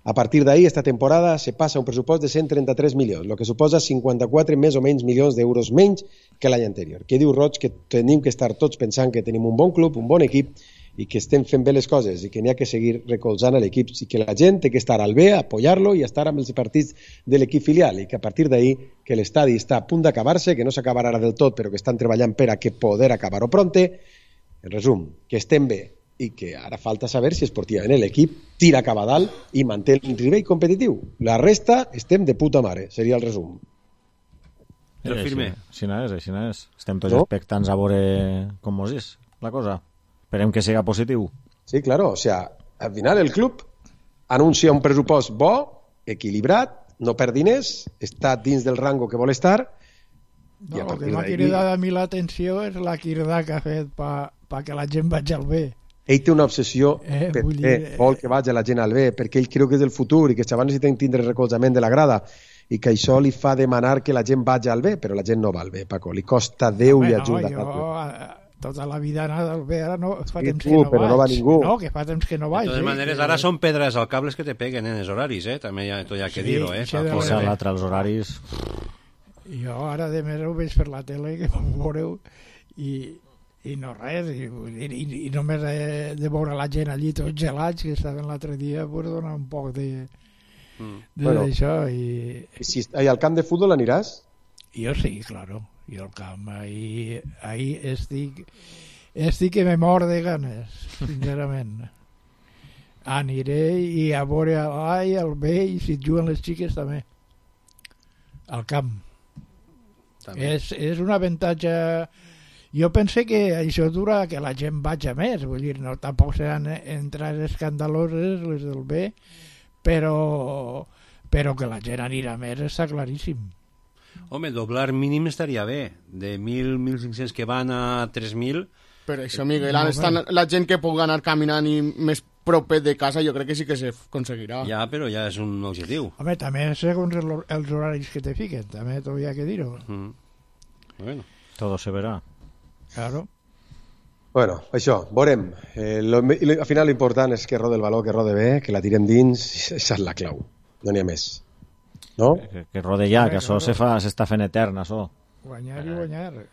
A partir d'ahí, esta temporada se passa un pressupost de 133 milions, el que suposa 54 més o menys milions d'euros menys que l'any anterior. Què diu Roig? Que tenim que estar tots pensant que tenim un bon club, un bon equip, i que estem fent bé les coses i que n'hi ha que seguir recolzant a l'equip i que la gent té que estar al bé, apoyar-lo i estar amb els partits de l'equip filial i que a partir d'ahí que l'estadi està a punt d'acabar-se, que no s'acabarà ara del tot però que estan treballant per a que poder acabar-ho pronte. En resum, que estem bé i que ara falta saber si esportivament l'equip tira cap a dalt i manté el nivell competitiu. La resta estem de puta mare, seria el resum. Així és. Estem tots expectants a veure com mos és la cosa. Esperem que siga positiu. Sí, claro, o sea, al final el club anuncia un pressupost bo, equilibrat, no perd diners, està dins del rango que vol estar. No, el que m'ha cridat a mi l'atenció és la crida que ha fet perquè la gent vagi al bé. Ell té una obsessió perquè vol que vagi la gent al bé, perquè ell creu que és el futur i que els xavals necessiten tindre recolzament de la grada i que això li fa demanar que la gent vagi al bé, però la gent no va al bé, Paco, li costa Déu i ajuda. Tota la vida anada al bé, ara no, fa temps que no però vaig. No va ningú. No, que fa temps que no vaig. De totes maneres, ara són pedres al cables que te peguen en els horaris, també hi ha que dir-ho, l'altre, els horaris... Jo ara de més ho veig per la tele, que m'ho veureu, i no res, i només de veure la gent allí tots gelats, que estaven l'altre dia, pues dona un poc d'això. I si al camp de futbol aniràs? Jo sí, claro. Jo al camp, ahir estic que me mor de ganes, sincerament. Aniré i a veure l'A i el B, i si et juguen les xiques també. Al camp. És un avantatge. Jo pense que això dura que la gent vagi més, vull dir, no tampoc seran entrades escandaloses les del B, però que la gent anirà més està claríssim. Home, doblar mínim estaria bé. De 1.000-1.500 que van a 3.000... Per això, Miguel, la gent que pugui anar caminant i més propet de casa, jo crec que sí que s'aconseguirà. Ja, però ja és un objectiu. Home, també segons els horaris que te fiquen, també t'ho hi ha que dir-ho. Bueno. Todo se verá. Claro. Bueno, això, veurem. Al final l'important és que rode el baló, que rode bé, que la tirem dins, això és la clau. No n'hi ha més. No? Que rode ja, que això s'està fent etern, això. Guanyar i guanyar.